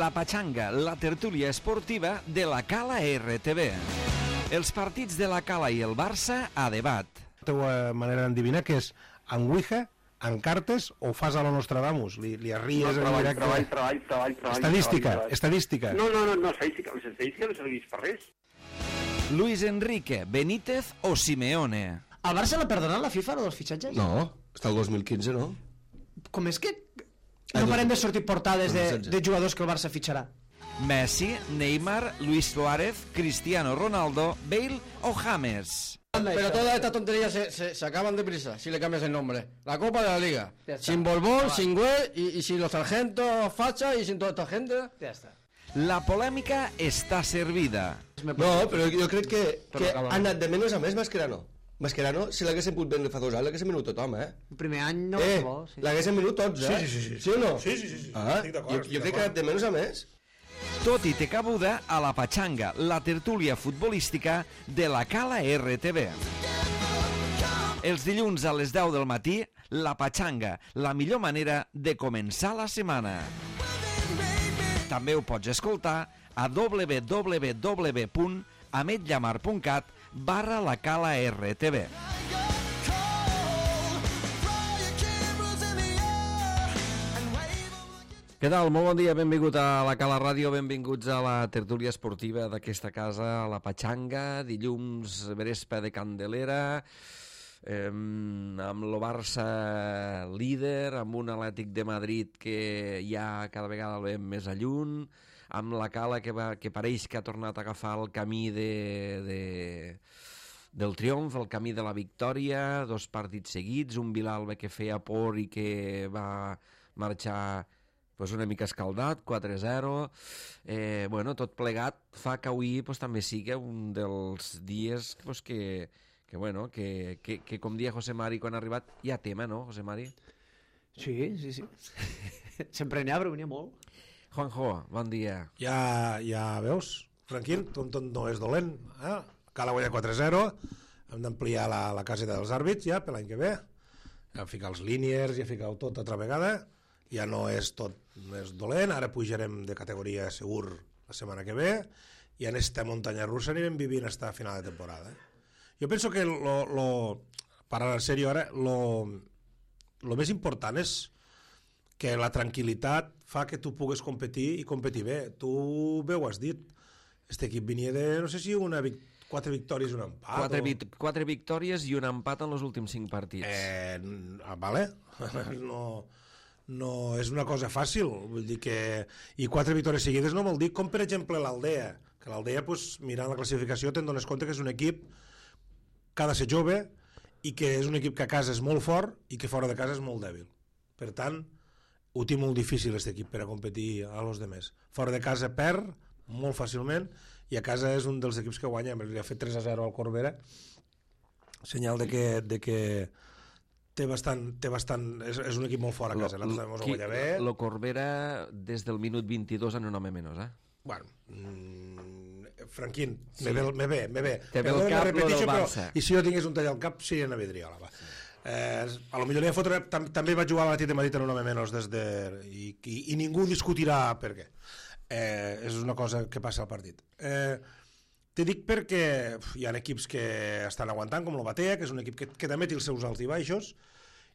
La Pachanga, la tertúlia esportiva de la Cala RTV. Els partits de la Cala i el Barça a debat. La teva manera d'endevinar que és en Ouija, en cartes o fas a la Nostradamus? Li arries en directe? Treball. Estadística. No, estadística. Les estadístiques no serveix per res. Luis Enrique, Benítez o Simeone. Al Barça l'ha perdonat la FIFA, dels fitxatges? No, està el 2015, no? Com és que no parem de sortir portades de jugadors que el Barça fitxarà? Messi, Neymar, Luis Suárez, Cristiano Ronaldo, Bale o James. Pero todas estas tonterías se acaban deprisa si le cambias el nombre. La Copa de la Liga. Sin Borbón, sin Güell y sin los sargentos Facha y sin toda esta gente. Ja està. La polèmica està servida. No, però jo crec que ha anat de menys a més Mascherano. Mascherano, si l'haguessin pogut vendre fa 2 anys, l'haguessin venut tothom, El primer any no bo, sí. L'haguessin venut tots, Sí. Sí o no? Sí. Estic d'acord. Jo crec que ha anat de menys a més. Tot i té cabuda a la Pachanga, la tertúlia futbolística de la Cala RTV. Els dilluns a les 10 del matí, la Pachanga, la millor manera de començar la setmana. També ho pots escoltar a www.ametllamar.cat/la Cala RTV. Què tal? Molt bon dia, benvingut a la Cala Ràdio, benvinguts a la tertúlia esportiva d'aquesta casa, a la Pachanga, dilluns Verespa de Candelera, amb el Barça líder, amb un Atlètic de Madrid que ja cada vegada el veiem més a lluny, amb la Cala que pareix que ha tornat a agafar el camí del triomf, el camí de la victòria, 2 partits seguits, un Vilalba que feia por i que va marxar una mica escaldat, 4-0. Tot plegat fa que avui també sigui un dels dies que com dia José Mari quan ha arribat, hi ha tema, no, José Mari? Sí. Sempre n'hi ha, però n'hi ha molt. Juanjo, bon dia. Ja veus, Franquín, tot no és dolent. Cal guanyar 4-0, hem d'ampliar la caseta dels àrbits ja per l'any que ve, ja ficar els líniers, ja ficar tot altra vegada, ja no és tot més dolent, ara pujarem de categoria segur la setmana que ve, i en esta muntanya russa anirem vivint fins a final de temporada. Jo penso que, parlant en sèrio ara, lo més important és que la tranquil·litat fa que tu pugues competir i competir bé. Tu bé ho has dit, este equip venia de, no sé si 4 victòries i un empat. 4 victòries i un empat en els últims 5 partits. Vale. No és una cosa fàcil, vull dir que i 4 victòries seguides no vol dir com per exemple l'Aldea, que l'Aldea mirant la classificació te'n dones compte que és un equip que ha de ser jove i que és un equip que a casa és molt fort i que fora de casa és molt dèbil. Per tant, ho té molt difícil aquest equip per a competir a los demés. Fora de casa perd molt fàcilment i a casa és un dels equips que guanya. Li ha fet 3-0 al Corbera, senyal de que té bastant, és un equip molt fort a casa. El Corbera des del minut 22 en un home menys, Bueno, Franquín, sí. me ve. Te ve el cap lo del Barça. I si jo tingués un tall al cap, seria una vidriola. A lo millor li fotre, també va jugar a l'Atlètic de Madrid en un home menys i ningú discutirà per què. És una cosa que passa al partit. Te dic perquè hi ha equips que estan aguantant, com el Batea, que és un equip que també té els seus alts i baixos,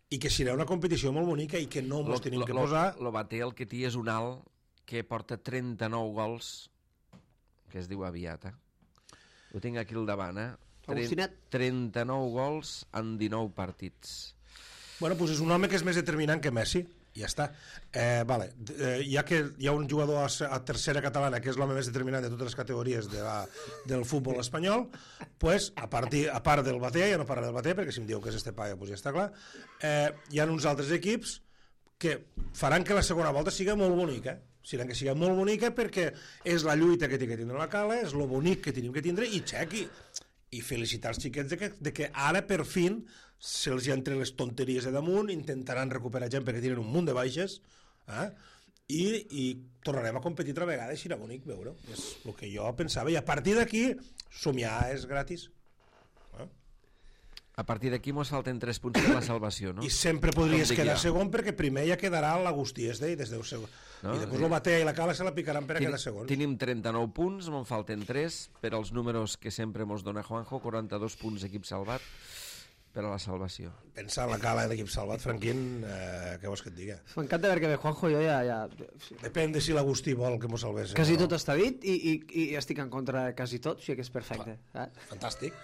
i que serà una competició molt bonica i que no ens tenim que posar... El Batea el que té és un alt que porta 39 gols, que es diu aviat, Ho tinc aquí al davant, 39 gols en 19 partits. Bueno, doncs és un home que és més determinant que Messi, ja està. Ja que hi ha un jugador a tercera catalana que és l'home més determinant de totes les categories del futbol espanyol, pues, a part del Batea, ja no parlaré del Batea perquè si em diu que és este paio, pues ja està clar, hi ha uns altres equips que faran que la segona volta siga molt bonica, perquè és la lluita que té que tindre la Cala, és lo bonic que tenim que tindre, i felicitar els xiquets de que ara per fin se'ls hi entren les tonteries de damunt, intentaran recuperar gent perquè tenen un munt de baixes, i tornarem a competir altra vegada i serà bonic veure-ho, és el que jo pensava, i a partir d'aquí somiar és gratis. A partir d'aquí mos falten 3 punts per la salvació, no? I sempre podries Com dic quedar jo. segon perquè primer ja quedarà l'Agustí Esdei des del segon. No? I després el Batea i la Cala se la picaran per a quedar segons. Tenim 39 punts, me'n falten 3 per als números que sempre mos dona Juanjo, 42 punts equip salvat per a la salvació. Pensa en la Cala i l'equip salvat, Franquín, què vols que et diga? M'encanta perquè bé, Juanjo, jo ja Depèn de si l'Agustí vol que mos salvés. quasi tot està dit i estic en contra de quasi tot, o sigui que és perfecte. Fantàstic.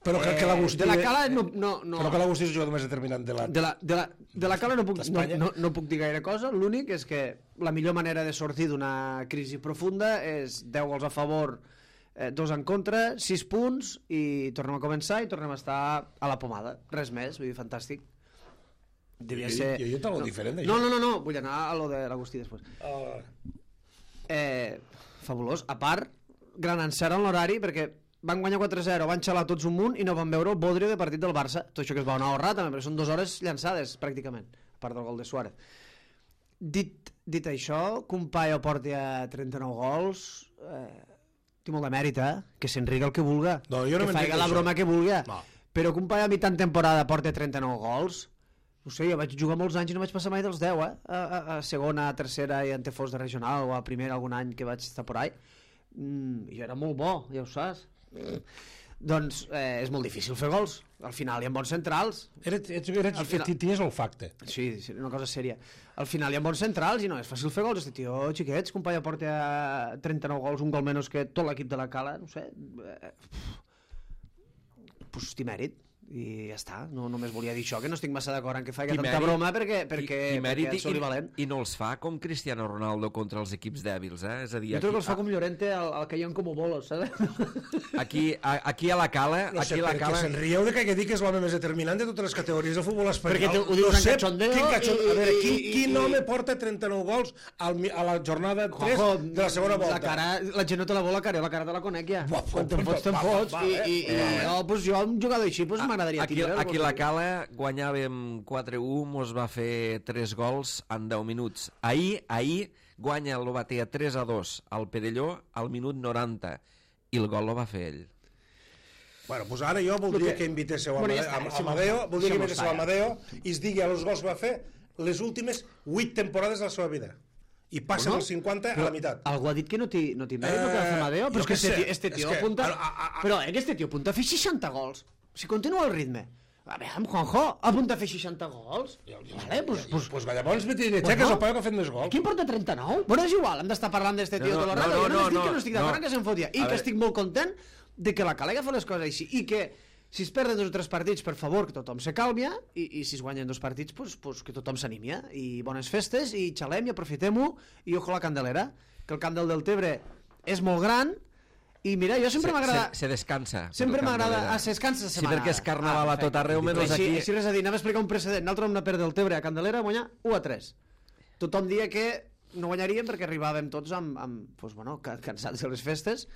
Però que l'Agustí... De la Cala no. Però que l'Agustí és el jugador més determinant de la... De la Cala no puc dir gaire cosa, l'únic és que la millor manera de sortir d'una crisi profunda és 10 gols a favor, 2 en contra, 6 punts i tornem a començar i tornem a estar a la pomada, res més, vull dir, fantàstic. Devia ser... Jo t'ho diferent d'això. No, vull anar a lo de l'Agustí després. Fabulós, a part, gran encert en l'horari perquè van guanyar 4-0, van xalar tots un munt i no van veure el bodrio de partit del Barça. Tot això que es va anar a ahorrar també, perquè són 2 hores llançades, pràcticament, a part del gol de Suárez. Dit això, que un paio porti a 39 gols, té molt de mèrit, que s'enriga el que vulga, No, jo no que m'enric faci la d'això. broma que vulga, No. però que un paio a mitjan temporada porti 39 gols, no sé, jo vaig jugar molts anys i no vaig passar mai dels 10, a segona, a tercera i en fos de regional, o a primera algun any que vaig estar por ahí. Jo era molt bo, ja ho saps. Doncs és molt difícil fer gols. Al final hi ha bons centrals. Tenies olfacte. Sí, una cosa sèria. Al final hi ha bons centrals i no és fàcil fer gols. Este tio, xiquets, que un paio porta 39 gols, un gol menys que tot l'equip de la Cala, no sé. Pues té mèrit. I ja està, no només volia dir això, que no estic massa d'acord en que faci tanta broma perquè soli valent. I no els fa com Cristiano Ronaldo contra els equips dèbils, És a dir, jo trobo que els fa com Llorente al que hi ha com bolos, saps? aquí a la Cala... No sé, perquè se'n rieu de que dic que és l'home més determinant de totes les categories del futbol espanyol. Perquè ho dius en cachondeo A veure, quin home porta 39 gols a la jornada 3 de la segona volta? La gent no te la vol la cara, la cara te la conec ja. Quan te'n fots, jo un jugador així m'agradaria tindre. Aquí la Cala guanyàvem 4-1, mos va fer 3 gols en 10 minuts. Ahir guanya el Batea 3-2 al Perelló al minut 90 i el gol lo va fer ell. Bueno, doncs ara jo voldria que invitéssiu Amadeo, voldria que invitéssiu Amadeo i es digui a los gols que va fer les últimes 8 temporades de la seva vida. I passen els 50 a la meitat. Algú ha dit que no té mèrit el que va fer Amadeo, però és que este tio apunta... Però que este tio apunta a fer 60 gols. Si continua el ritme. A veure, Juanjo, apunta a fer 60 gols. Vale, Pues llavors Bettinetxec és el paio que ha fet més gols. Qui en porta 39? Bueno, és igual, hem d'estar parlant d'este tio tot el rato. Jo només dic que no estic d'acord que se'n fotia. I que estic molt content de que la Cala fa les coses així. I que si es perden 2 o 3 partits, per favor, que tothom se calmia. I si es guanyen 2 partits, pues que tothom s'animia. I bones festes, i xalem, i aprofitem-ho. I ojo la Candelera, que el camp del Deltebre és molt gran. I mira, jo sempre m'agrada... Se descansa. Sempre m'agrada... Se descansa la setmana. Sí, perquè és carnaval a tot arreu, menys aquí... Així res a dir, anem a explicar un precedent. Nosaltres vam anar a perdre el Tebre a Candelera, guanyar 1-3. Tothom dia que no guanyaríem perquè arribàvem tots pues, bueno, cansats de les festes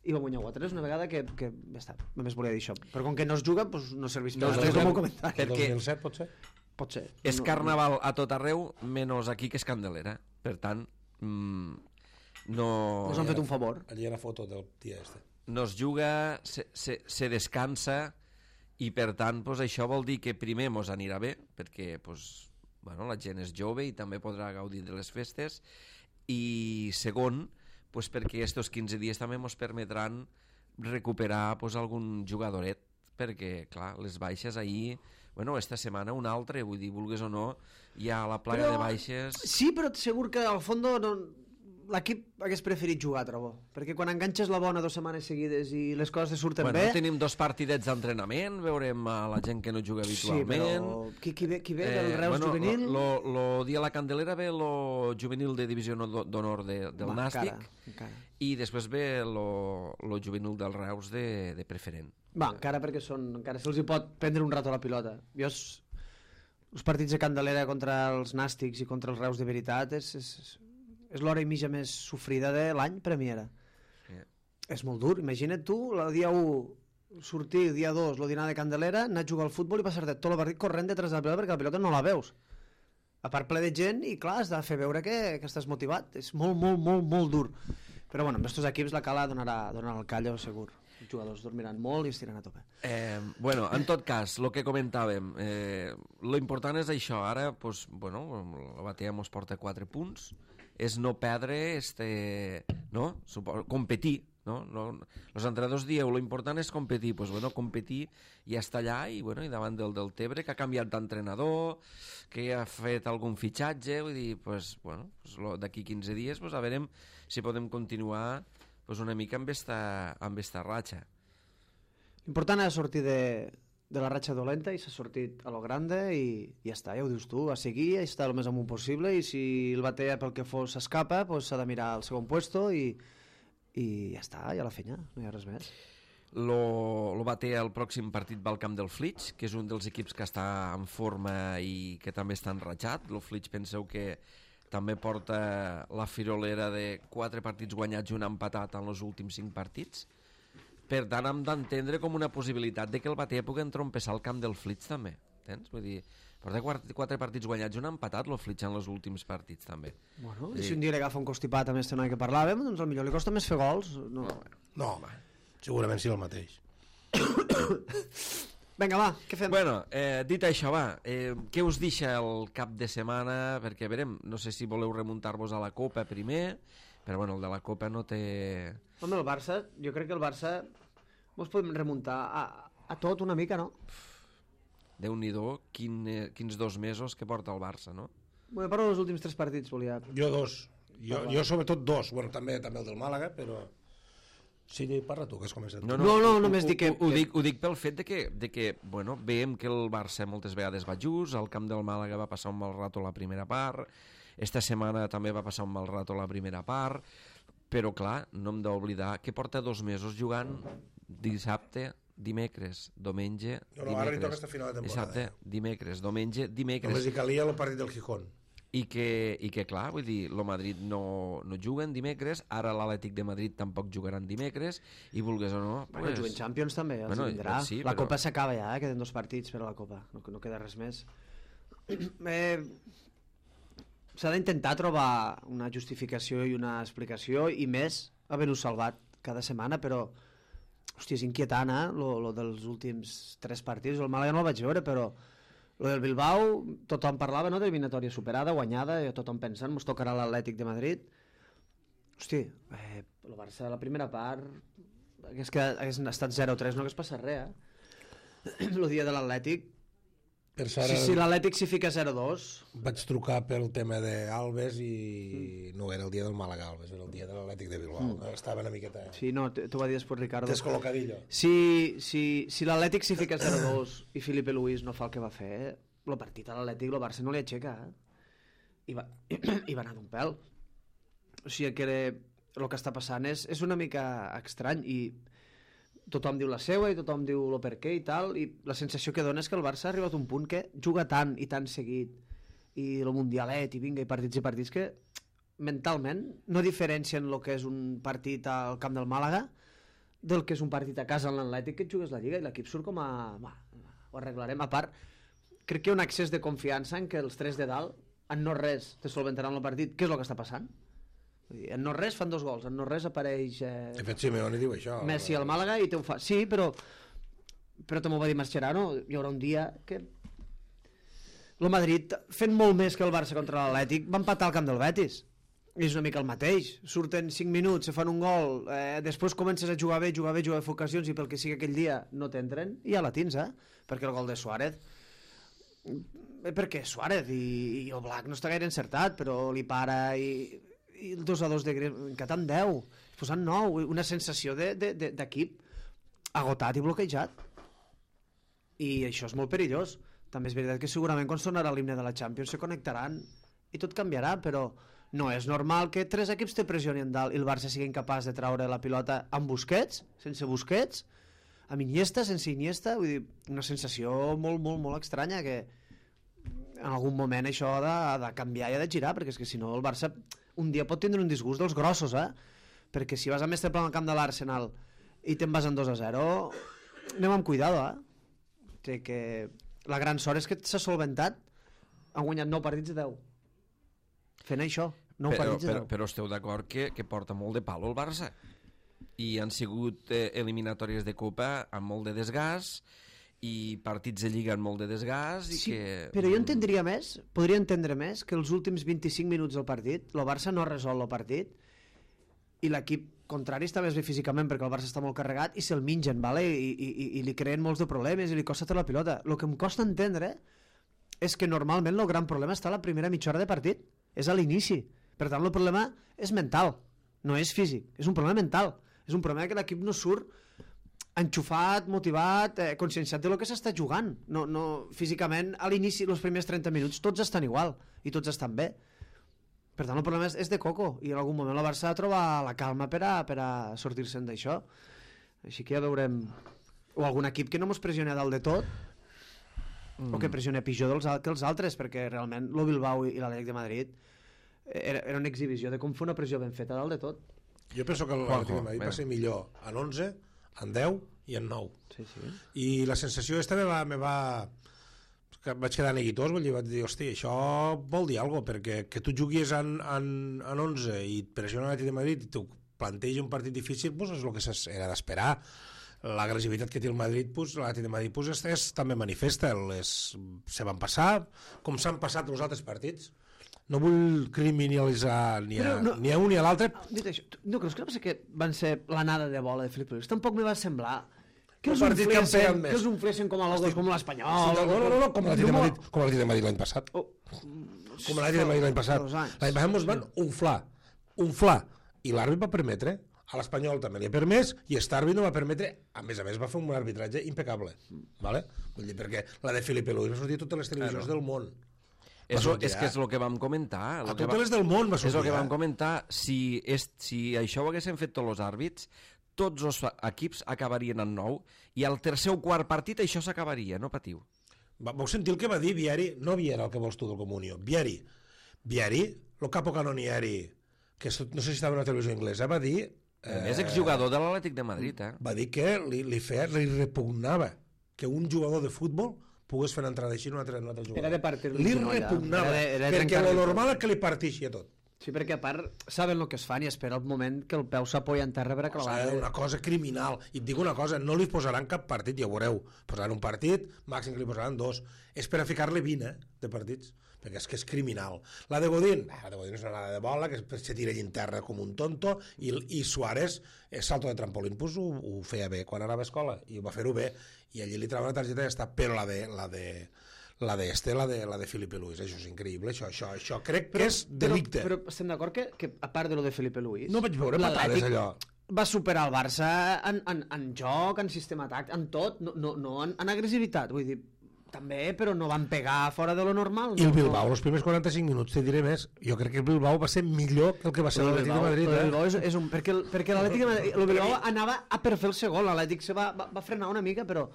i vam guanyar 1-3 una vegada que ja està, només volia dir això. Però com que no es juga, pues, no serveix per res com un comentari. Perquè 2007 pot ser? Pot ser. És carnaval a tot arreu, menys aquí que és Candelera. Per tant... No han fet un favor. Allí hi ha una foto del tia este. No es juga, se descansa i per tant pues, això vol dir que primer mos anirà bé perquè pues, bueno, la gent és jove i també podrà gaudir de les festes i segon pues, perquè estos 15 dies també mos permetran recuperar pues, algun jugadoret perquè clar, les baixes ahir bueno, esta setmana un altre, vull dir, vulgues o no hi ha la plaga de baixes. Sí, però segur que al fons l'equip hagués preferit jugar, trobo, perquè quan enganxes la bona 2 setmanes seguides i les coses te surten bé... Tenim 2 partidets d'entrenament, veurem a la gent que no juga habitualment... Sí, però qui ve del Reus juvenil? Lo dia a la Candelera ve lo juvenil de divisió d'honor del Nàstic i després ve lo juvenil del Reus de preferent. Va, encara perquè encara se'ls hi pot prendre un rato la pilota. Jo els partits de Candelera contra els Nàstics i contra els Reus de veritat és l'hora i mitja més sofrida de l'any per a mi era. És molt dur, imagina't tu el dia 1 sortir, el dia 2 el dinar de Candelera, anar a jugar al futbol i passar-te tot el partit corrent detrás de la pilota perquè la pilota no la veus, a part ple de gent i clar, has de fer veure que estàs motivat, és molt, molt, molt, molt dur, Però bueno, amb aquests equips la Cala donarà el callo segur. Els jugadors dormiran molt i estiran a tope. Bueno, en tot cas, el que comentàvem, lo important és això. Ara, pues, bueno, la Batea mos porta 4 punts, és no perdre, no? Competir, no? Els entrenadors dieu, lo important és competir, pues, bueno, competir i estar allà, i, bueno, i davant del Tebre, que ha canviat d'entrenador, que ha fet algun fitxatge, vull dir, pues, bueno, pues, d'aquí 15 dies, pues, a veure si podem continuar pues una mica amb esta ratxa. L'important és sortir de la ratxa dolenta i s'ha sortit a lo grande i ja està, ja ho dius tu, a seguir, a estar el més amunt possible i si el Batea pel que fos s'escapa, pues s'ha de mirar el segon puesto i ja està, ja la fenya, no hi ha res més. Lo Batea el pròxim partit va al camp del Flix, que és un dels equips que està en forma i que també està enratxat. El Flix penseu que també porta la firolera de 4 partits guanyats i un empatat en els últims 5 partits. Per tant, hem d'entendre com una possibilitat de que el Batea pugui entrompessar al camp del Flix també. Entens? Vull dir, porta 4 partits guanyats i un empatat el Flix en els últims partits també. Bueno, i si un dia li agafa un constipat amb este noi que parlàvem, doncs potser li costa més fer gols. No, segurament sí el mateix. Vinga, va, què fem? Bueno, dit això, va, què us deixa el cap de setmana? Perquè, verem, no sé si voleu remuntar-vos a la Copa primer, però, bueno, el de la Copa no té... Home, el Barça, jo crec que el Barça mos podem remuntar a tot una mica, no? Déu-n'hi-do, quins 2 mesos que porta el Barça, no? Bueno, parlo dels últims 3 partits, volia... Jo 2. Jo sobretot 2. Bueno, també el del Màlaga, però... Sí, parla tu, que has començat. No, només dic que... Ho dic pel fet de que bueno, veiem que el Barça moltes vegades va just, al camp del Màlaga va passar un mal rato la primera part, esta setmana també va passar un mal rato la primera part, però clar, no hem d'oblidar que porta 2 mesos jugant dissabte, dimecres, diumenge, ara li toca aquesta final de temporada. Dissabte, dimecres, diumenge, Només hi calia el partit del Gijón. I que clar, vull dir, el Madrid no juguen dimecres, ara l'Atlètic de Madrid tampoc jugaran dimecres, i vulgues o no... Bueno, juguen Champions també, els vindrà. Sí, la Copa s'acaba ja, queden 2 partits per a la Copa, no queda res més. S'ha d'intentar trobar una justificació i una explicació, i més haver-ho salvat cada setmana, però hòstia, és inquietant, lo dels últims 3 partits. El Màlaga no el vaig veure, però lo del Bilbao, tothom parlava, no?, d'eliminatòria superada, guanyada, i tothom pensant, mos tocarà l'Atlètic de Madrid. Hosti, el Barça, la primera part, hagués estat 0-3, no hagués passat res, el dia de l'Atlètic. Si l'Atlètic s'hi fica 0-2... Vaig trucar pel tema d'Alves i no era el dia del Màlaga Alves, era el dia de l'Atlètic de Bilbao. Estava una miqueta... Sí, no, t'ho va dir després Ricardo. Descol·locadillo. Si l'Atlètic s'hi fica 0-2 i Felipe Luis no fa el que va fer, el partit a l'Atlètic, el Barça no li aixeca, I va anar d'un pèl. O sigui que el que està passant és una mica estrany, i tothom diu la seua i tothom diu el per què i tal, i la sensació que dona és que el Barça ha arribat a un punt que juga tant i tan seguit, i el Mundialet i vinga, i partits que mentalment no diferencien el que és un partit al camp del Màlaga del que és un partit a casa en l'Atlètic, que et jugues la Lliga i l'equip surt com a... ho arreglarem. A part, crec que hi ha un excés de confiança en que els 3 de dalt en no res te solventaran el partit. Què és el que està passant? En no res fan 2 gols, en no res apareix de fet Simeone diu això, Messi al Màlaga i te ho fa, sí, però també ho va dir Mascherano, hi haurà un dia que el Madrid, fent molt més que el Barça contra l'Atlètic, va empatar al camp del Betis, és una mica el mateix, surten 5 minuts, se fan un gol, després comences a jugar bé ocasions, i pel que sigui aquell dia no t'entren, i ja la tens, perquè el gol de Suárez, perquè Suárez i Oblak no està gaire encertat, però li para, i el 2-2 de Griezmann, encatant 10, posant 9, una sensació d'equip agotat i bloquejat, i això és molt perillós. També és veritat que segurament quan sonarà l'himne de la Champions se connectaran i tot canviarà, però no és normal que 3 equips te pressionin dalt i el Barça sigui incapaç de traure la pilota amb Busquets, sense Busquets, amb Iniesta, sense Iniesta. Vull dir, una sensació molt, molt, molt estranya, que en algun moment això ha de canviar i ha de girar, perquè és que si no el Barça un dia pot tindre un disgust dels grossos, perquè si vas a Mestre al camp de l'Arsenal i te'n vas en 2-0, anem amb cuidado, que la gran sort és que s'ha solventat, han guanyat 9 partits de 10 fent això. Però esteu d'acord que porta molt de palo el Barça? I han sigut eliminatòries de Copa amb molt de desgast i partits de Lliga amb molt de desgast i que... Però jo podria entendre més que els últims 25 minuts del partit el Barça no resol el partit i l'equip contrari està més bé físicament perquè el Barça està molt carregat i se'l mengen, vale? I li creen molts de problemes i li costa tota la pilota. El que em costa entendre és que normalment el gran problema està a la primera mitja hora de partit, és a l'inici. Per tant, el problema és mental, no és físic, és un problema mental. És un problema que l'equip no surt enxufat, motivat, conscienciat de lo que s'està jugant. No, físicament, a l'inici, els primers 30 minuts, tots estan igual i tots estan bé. Per tant, el problema és de coco i en algun moment el Barça ha de trobar la calma per a sortir-se'n d'això. Així que ja veurem... O algun equip que no mos pressioni a dalt de tot o que pressioni pitjor que els altres, perquè realment el Bilbao i l'Atlètic de Madrid era una exhibició de com fer una pressió ben feta a dalt de tot. Jo penso que l'Atlètic de Madrid va ser millor en 11, en 10 i en 9. Sí. I la sensació aquesta me va... que vaig quedar neguitós, vaig dir, hosti, això vol dir alguna cosa, perquè que tu juguis en 11 i et pressiona l'Atlètic de Madrid i tu plantegi un partit difícil, pues és el que era d'esperar. L'agressivitat que té el Madrid, pues, l'Atlètic de Madrid pues, també manifesta, se van passar com s'han passat els altres partits. No vull criminalitzar ni a un ni a l'altre. Dit això, no creus que van ser l'anada de bola de Felip Luis? Tampoc me va semblar que els unflessin com a logos, com l'Espanyol. No, com l'Atlètic de Madrid l'any passat. Com l'Atlètic de Madrid l'any passat. L'any passat ens van unflar. I l'àrbit va permetre, a l'Espanyol també li ha permès, i Starby no va permetre, a més va fer un arbitratge impecable. Vull dir, perquè la de Felipe Luis va sortir a totes les televisions del món. És que és el que vam comentar. A totes les del món va sortir. És el que vam comentar. Si això ho haguessin fet tots els àrbits, tots els equips acabarien en 9 i al tercer o quart partit això s'acabaria, no patiu. Vau sentir el que va dir Vieri? No Vieri, el que vols tu del Comunió. Vieri, el capo canonieri, que no sé si estava en una televisió inglesa, va dir... És exjugador de l'Atlètic de Madrid, Va dir que li repugnava que un jugador de futbol pogués fer una entrada així en un altre jugador. Era de partir-li. Li repugnava, perquè lo normal és que li partixi a tot. Sí, perquè a part saben el que es fan i espera el moment que el peu s'apoya en terra per acabar. És una cosa criminal. I et dic una cosa, no li posaran cap partit, ja ho veureu. Posaran un partit, màxim que li posaran 2. És per a ficar-li 20 de partits, perquè és que és criminal. La de Godín és una anada de bola, que se tira en terra com un tonto, i Suárez, salto de trampolín, pues ho feia bé quan anava a escola, i ho va fer-ho bé, i allí li trava una targeta i ja està, però la de Felipe Luis, això és increïble, això crec que és delicte. Però estem d'acord que a part de lo de Felipe Luis, no vaig veure patades allò. Va superar el Barça en joc, en sistema tàctic, en tot, no en agressivitat, vull dir, també, però no van pegar fora de lo normal. I el Bilbao, els primers 45 minuts, te diré més, jo crec que el Bilbao va ser millor que el que va ser l'Atlètic de Madrid. El Bilbao és un... Perquè l'Atlètic de Madrid, el Bilbao anava a per fer el segon, l'Atlètic se va frenar una mica, però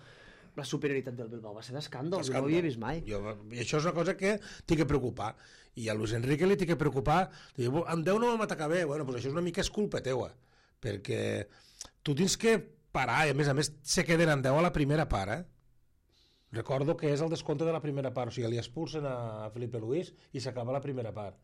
la superioritat del Bilbao va ser d'escàndol, no ho havia vist mai. I això és una cosa que t'hi que preocupar. I a Luis Enrique li t'hi que preocupar. Diu, en 10 no vam atacar bé. Bueno, doncs això és una mica és culpa teua, perquè tu tens que parar, i a més se queden en 10 a la primera part, Recordo que és el descompte de la primera part, o sigui, li expulsen a Felipe Luis i s'acaba la primera part.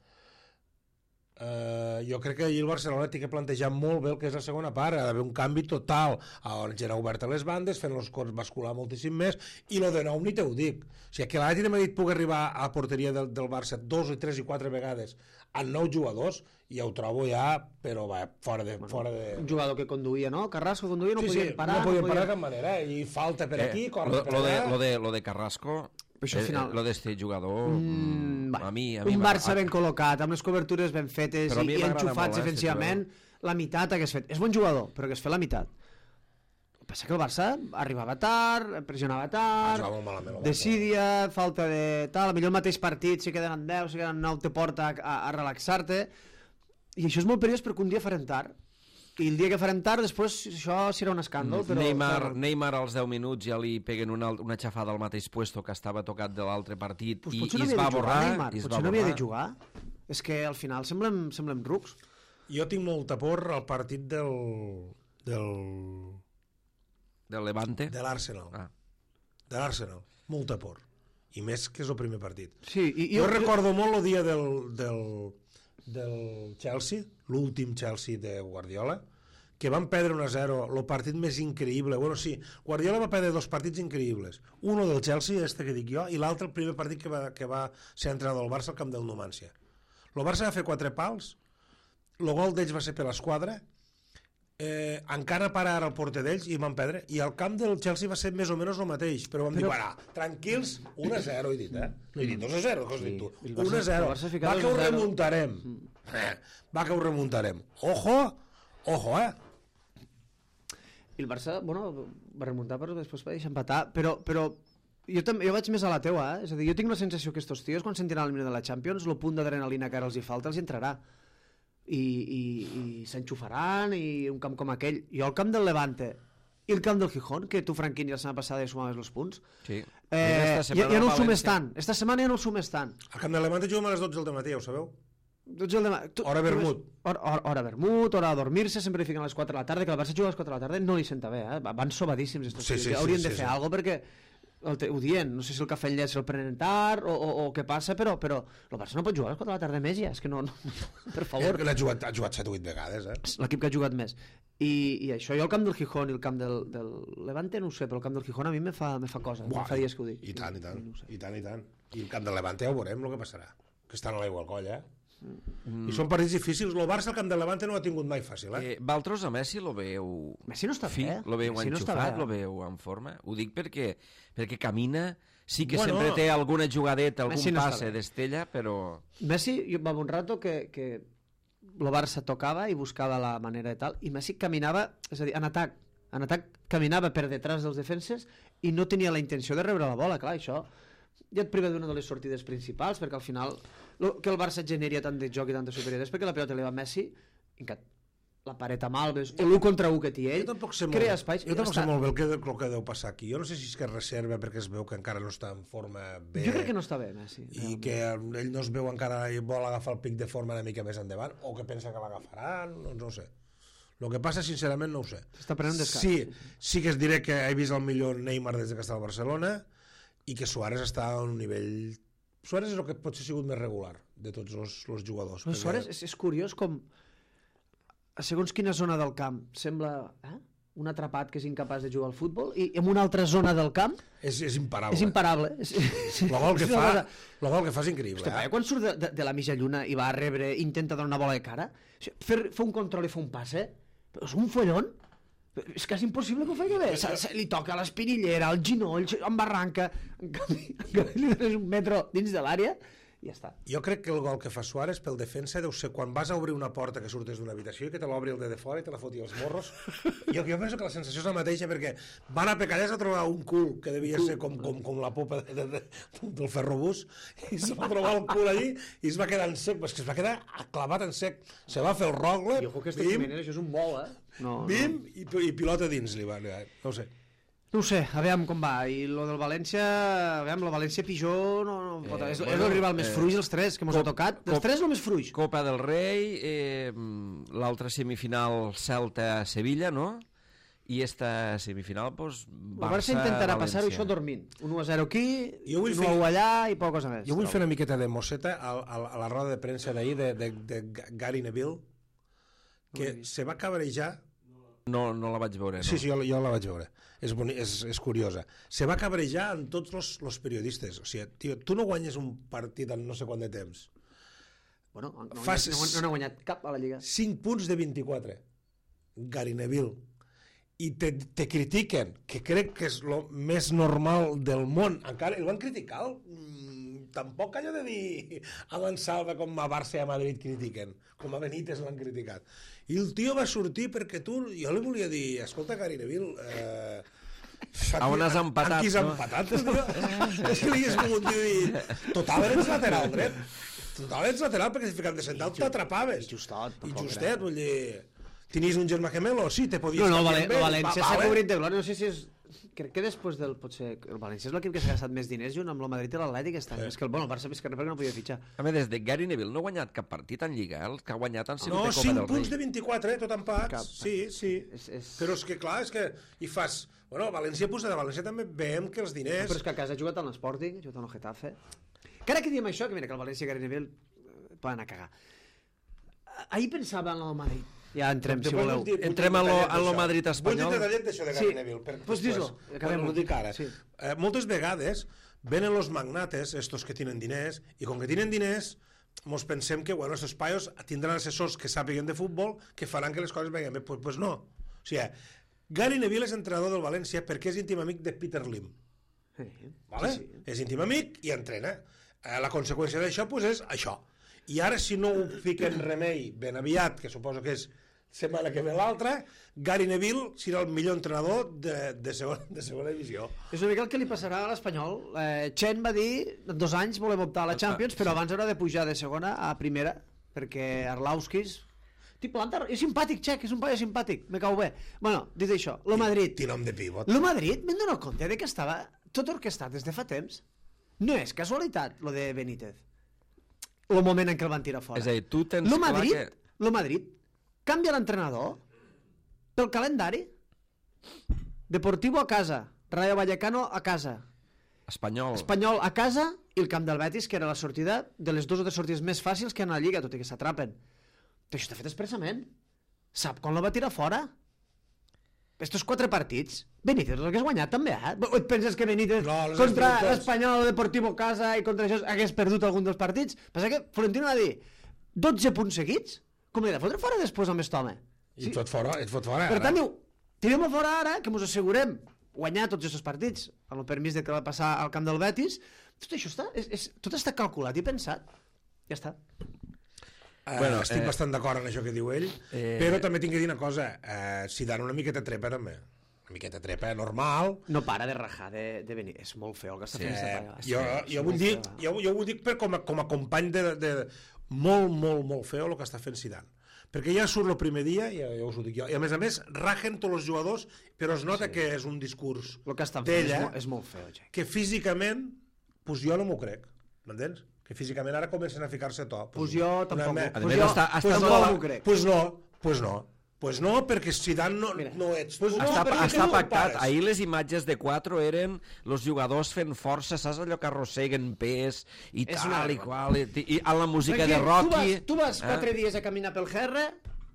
Jo crec que allí el Barcelona té que plantejar molt bé el que és la segona part, ha d'haver un canvi total, on gent obert a les bandes, fent els cors bascular moltíssim més, i lo de nou ni te ho dic. O sigui, que l'Atlètic de Madrid pugui arribar a la porteria del Barça 2 o 3 i 4 vegades amb 9 jugadors, ja ho trobo ja, però va, fora de... Un jugador que conduïa, no? Carrasco conduïa, no podien parar. No podien parar de cap manera, i falta per aquí, corre per allà... Lo de Carrasco... Final... Lo d'este jugador a mi un Barça ben col·locat, amb les cobertures ben fetes i enxufats defensivament, la meitat hagués fet. És bon jugador, però hagués fet la meitat. El que passa que el Barça arribava tard, pressionava tard, desídia, falta de tal, millor el mateix partit, si queden en 10, si queden en 9, te porta a relaxar-te, i això és molt perillós perquè un dia farem tard. I el dia que farem tard, després això serà un escàndol. Però... Neymar als 10 minuts ja li peguen una xafada al mateix puesto que estava tocat de l'altre partit i es va borrar. Potser no havia de jugar. És que al final semblem rucs. Jo tinc molta por al partit del Levante? De l'Arsenal. De l'Arsenal. Molta por. I més que és el primer partit. Sí, jo recordo molt el dia del Chelsea, l'últim Chelsea de Guardiola, que van perdre 1-0, el partit més increïble. Bueno, sí, Guardiola va perdre 2 partits increïbles. Uno del Chelsea, que dic jo, i l'altre el primer partit que va ser entrenador del Barça al camp del Numancia. El Barça va fer 4 pals, el gol d'ells va ser per l'esquadra, encara parar el porter d'ells i van perdre, i el camp del Chelsea va ser més o menys el mateix, però vam dir, bueno, tranquils, 1-0 he dit, no he dit 2-0, què has dit tu? 1-0, va que ho remuntarem, ojo, I el Barça, bueno, va remuntar però després va deixar empatar, però jo vaig més a la teua, és a dir, jo tinc la sensació que estos tios, quan sentiran el minut de la Champions, el punt d'adrenalina que ara els hi falta els hi entrarà i s'enxufaran, i un camp com aquell. Jo al camp del Levante i el camp del Gijón, que tu, Franquini, la setmana passada ja sumaves els punts, sí. Ja no el sumes tant. Esta setmana ja no el sumes tant. Al camp del Levante juguem a les 12 del matí, ja ho sabeu? Hora vermut. Hora vermut, hora a dormir-se, sempre li fiquen a les 4 de la tarda, que el Barça juga a les 4 de la tarda no li senta bé, van sobadíssims estos tios. Haurien de fer alguna cosa perquè ho dient, no sé si el cafè llet se'l prenen tard o què passa, però el Barça no pot jugar a les 4 de la tarda més ja, és que no per favor. Ha jugat 7 o 8 vegades, l'equip que ha jugat més. I això, jo el camp del Gijón i el camp del Levante no ho sé, però el camp del Gijón a mi me fa cosa, em fa dies que ho dic. I tant. I el camp del Levante ja ho veurem el que passarà, que estan a l'aigua al coll, I són partits difícils. El Barça al camp del Levante no ho ha tingut mai fàcil, Valtros a Messi lo veu... Messi no està bé. Lo veu enxufat, lo veu en forma. Ho dic perquè camina, sí que sempre té alguna jugadeta, algun passe d'estella, però... Messi, va un rato que el Barça tocava i buscava la manera de tal, i Messi caminava, és a dir, en atac caminava per detrás dels defenses i no tenia la intenció de rebre la bola, clar, això ja et priva d'una de les sortides principals, perquè al final que el Barça generi tant de joc i tanta superioritat és perquè la pilota li va a Messi i que la paret amb Alves, l'1 contra 1 que té ell, crea espais. Jo tampoc sé molt bé el que deu passar aquí. Jo no sé si és que es reserva perquè es veu que encara no està en forma bé. Jo crec que no està bé, Messi. I que ell no es veu encara i vol agafar el pic de forma una mica més endavant, o que pensa que l'agafaran, no ho sé. El que passa, sincerament, no ho sé. S'està prenent descans. Sí que es diré que he vist el millor Neymar des que està al Barcelona i que Suárez està a un nivell... Suárez és el que potser ha sigut més regular de tots els jugadors. Però Suárez és curiós com a segons quina zona del camp sembla un atrapat que és incapaç de jugar al futbol i en una altra zona del camp és imparable. És imparable. El gol que fa és increïble. Hòstia, quan surt de la mitja lluna i va a rebre, intenta donar una bola de cara, fer un control i fer un passe, però és un follon. És quasi impossible que ho faci bé. Li toca a l'espinillera, al ginoll, embarranca, en canvi li dones un metro dins de l'àrea i ja està. Jo crec que el gol que fa Suárez pel defensa deu ser quan vas a obrir una porta que surtes d'una habitació i que te l'obri el de fora i te la foti als morros. Jo penso que la sensació és la mateixa perquè van a Pecallès a trobar un cul que devia ser com la popa del ferrobús i se va trobar el cul allí i es va quedar en sec, es va quedar clavat en sec. Se va fer el rogle, i ojo que Jiménez, això és un vol, bim, i pilota dins li va, no ho sé. No ho sé, aviam com va. I lo del València, aviam, el València Pijó és el rival més fruix dels tres que mos ha tocat. Dels tres el més fruix. Copa del Rei, l'altra semifinal Celta-Sevilla, no? I esta semifinal, doncs, Barça-València. El Barça intentarà passar-ho això dormint. 1-0 aquí, 1-1 allà i poca cosa més. Jo vull fer una miqueta de mosseta a la roda de premsa d'ahir de Gary Neville, que se va cabrejar. No la vaig veure, no? Sí, jo la vaig veure. És curiosa. Se va cabrejar amb tots els periodistes. O sigui, tio, tu no guanyes un partit en no sé quant de temps. Bueno, no ha guanyat cap a la Lliga. 5 punts de 24. Gary Neville. I te critiquen, que crec que és el més normal del món. Encara el van criticar. Tampoc allò de dir a Mansalva com a Barça i a Madrid critiquen, com a Benítez l'han criticat. I el tio va sortir perquè jo li volia dir, escolta, Gary Neville, on has empatat, aquí has empatat, és que li hagués volgut dir, total eres lateral dret, total ets lateral perquè si ficat de central t'atrapaves. I justet, vull dir, tenies un germà gemelo, sí, te podies canviar amb ell. No, València s'ha cobrit de glòria, no sé si és... Crec que després potser el València és l'equip que s'ha gastat més diners junt amb el Madrid i l'Atlètic aquest any. És que el Barça més que res perquè no podia fitxar. A més, des de Gary Neville no ha guanyat cap partit en Lliga, el que ha guanyat han sigut de Copa del Rei. No, 5 punts de 24, tot empats. Sí. Però és que clar, hi fas... Bueno, València puja de València també veiem que els diners... Però és que a casa ha jugat en l'Sporting, ha jugat en el Getafe. Encara que diem això, que mira que el València i Gary Neville poden anar a cagar. ahir pensava en el Madrid. Ja entrem, si Després voleu. vull dir Entrem en lo Madrid Vull espanyol. dir detallet d'això de Sí. Gary Neville. Pues dis-lo, acabem. Ho dic ara. Sí. Moltes vegades venen los magnates, estos que tienen diners, i com que tienen diners, mos pensem que, bueno, estos paios tindran assessors que sàpiguen de futbol que faran que les coses vagin bé. Pues no. O sigui, Gary Neville és entrenador del València perquè és íntim amic de Peter Lim. Sí. Vale? Sí, sí. És íntim amic i entrena. La conseqüència d'això pues, és això. I ara, si no ho fiquen remei ben aviat, que suposo que és setmana que ve l'altra, Gary Neville serà el millor entrenador de segona divisió. És una mica el que li passarà a l'Espanyol. Chen va dir, en 2 anys volem optar a la Champions, però abans haurà de pujar de segona a primera, perquè Arlauskis... És simpàtic, Txec, és un paio simpàtic, me cau bé. Bueno, dit això, lo Madrid... Té nom de pivot. Lo Madrid, m'he donat compte de que estava tot orquestat des de fa temps. No és casualitat, lo de Benítez. El moment en què el van tirar fora. És a dir, tu tens Lo clar Madrid, que... lo Madrid canvia l'entrenador pel calendari. Deportivo a casa, Rayo Vallecano a casa, Espanyol. Espanyol a casa i el camp del Betis, que era la sortida de les 2 o 3 sortides més fàcils que hi ha a la Lliga, tot i que s'atrapen. Però això està fet expressament. Sap quan lo va tirar fora? Estos 4 partits, Benítez el que has guanyat també, eh? O et penses que Benítez No, les contra has perdut tots. l'Espanyol o Deportivo Casa i contra això hagués perdut algun dels partits? Passa que Florentino va dir 12 punts seguits? Com li he de fotre fora després amb aquest home? I et fot fora, Per tant, diu, tirem-ho fora ara, que mos assegurem guanyar tots aquests partits, amb el permís de que va passar al camp del Betis. Tot això està, tot està calculat i pensat. Ja està. Bueno, estic bastant d'acord en això que diu ell, però també tinc que dir una cosa, si dan una miqueta trepa també, una miqueta trepa normal. No para de rajar de venir. És molt feo el que està fent aquesta paia. Jo vull dir per com a company de molt feo el que està fent Zidane, perquè ja surt el primer dia, ja us ho dic jo, i a més rajen tots els jugadors, però es nota que és un discurs El que estan fent d'ella és molt feo, Jack. que físicament, pues jo no m'ho crec, m'entens? Que físicament ara comencen a ficar-se a to. Pues jo tampoc. Pues no, perquè Zidane no ets. Està pactat. Ahir les imatges de 4 eren els jugadors fent força, saps allò que arrosseguen pes i tal i qual, i amb la música de Rocky. Tu vas 4 dies a caminar pel GR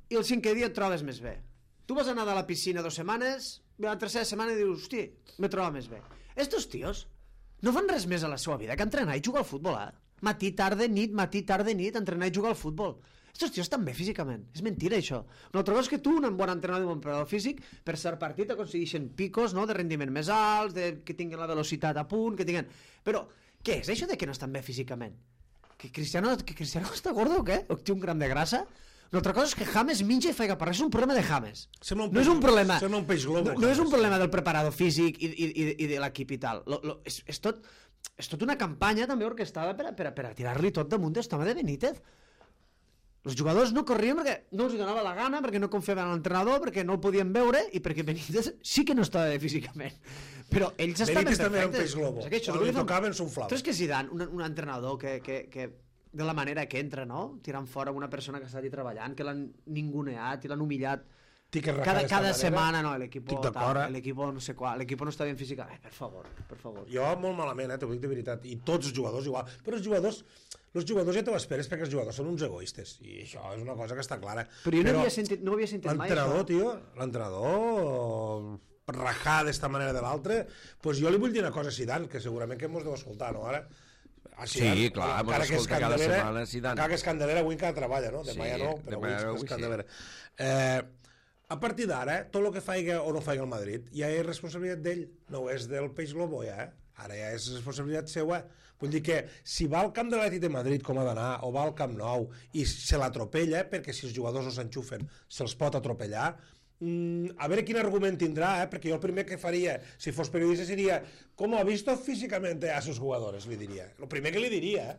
i el 5è dia et trobes més bé. Tu vas anar a la piscina 2 setmanes, la tercera setmana i dius, hosti, me trobo més bé. Estos tios no fan res més a la seva vida que entrenar i jugar al futbol, Matí, tarda, nit, entrenar i jugar al futbol. Estos tios estan bé físicament. És mentira, això. Una altra cosa és que tu, un bon entrenador i un bon preparador físic, per cert partit aconsegueixen picos, no?, de rendiment més alts, que tinguin la velocitat a punt, que tinguin... Però, què és això de que no estan bé físicament? Que Cristiano està gordo o què? O té un gram de grassa? Una altra cosa és que James menja i faiga parlar. És un problema de James. No és un problema... Sembla un peix globo. No és un problema del preparador físic i de l'equip i tal. És tot una campanya també orquestada per a tirar-li tot damunt d'aquest home de Benítez. Els jugadors no corrien perquè no els donava la gana, perquè no confiaven en l'entrenador, perquè no el podien veure i perquè Benítez sí que no estava bé físicament. Però ells estaven perfectes. Benítez també era un peix globo. Quan li tocaven s'unflava. Tu és que Zidane, un entrenador que de la manera que entra, no?, tirant fora una persona que està allà treballant, que l'han ninguneat i l'han humillat cada setmana, no, l'equip no sé qual, l'equip no està ben físicament. Per favor. Jo molt malament, t'ho dic de veritat, i tots els jugadors igual, però els jugadors ja t'ho esperes perquè els jugadors són uns egoistes i això és una cosa que està clara. Però jo no havia sentit mai això. L'entrenador rajar d'esta manera de l'altra, doncs jo li vull dir una cosa a Zidane, que segurament que mos deu escoltar, no, ara? Sí, clar, mos escolta cada setmana Zidane. Encara que és Candelera, avui encara treballa, no? Demà ja no, però avui és Candelera. A partir d'ara, tot el que faiga o no faiga el Madrid ja és responsabilitat d'ell, no és del peix globo ja, ara ja és responsabilitat seva. Vull dir que si va al camp de l'Atlètic de Madrid com ha d'anar, o va al Camp Nou i se l'atropella, perquè si els jugadors no s'enxufen se'ls pot atropellar, a veure quin argument tindrà, perquè jo el primer que faria si fos periodista seria com ha visto físicament a sus jugadores, li diria. El primer que li diria,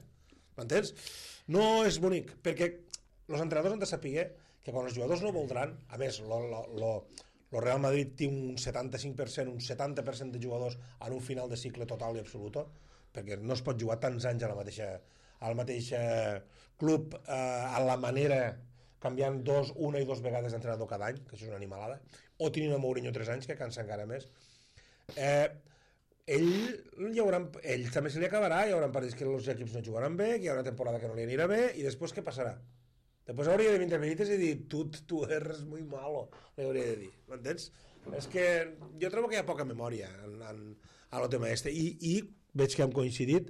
m'entens? No és bonic, perquè els entrenadors han de saber que quan els jugadors no voldran, a més, el Real Madrid té un 75%, un 70% de jugadors en un final de cicle total i absolut, perquè no es pot jugar tants anys al mateix club a la manera, canviant una i dues vegades d'entrenador cada any, que això és una animalada, o tenint a Mourinho 3 anys, que cansa encara més. Ell també se li acabarà, hi haurà partits que els equips no jugaran bé, que hi haurà una temporada que no li anirà bé, i després què passarà? Després hauria de vindre Benítez i dir tu eres muy malo, li hauria de dir, m'entens? És que jo trobo que hi ha poca memòria en el tema este i veig que hem coincidit.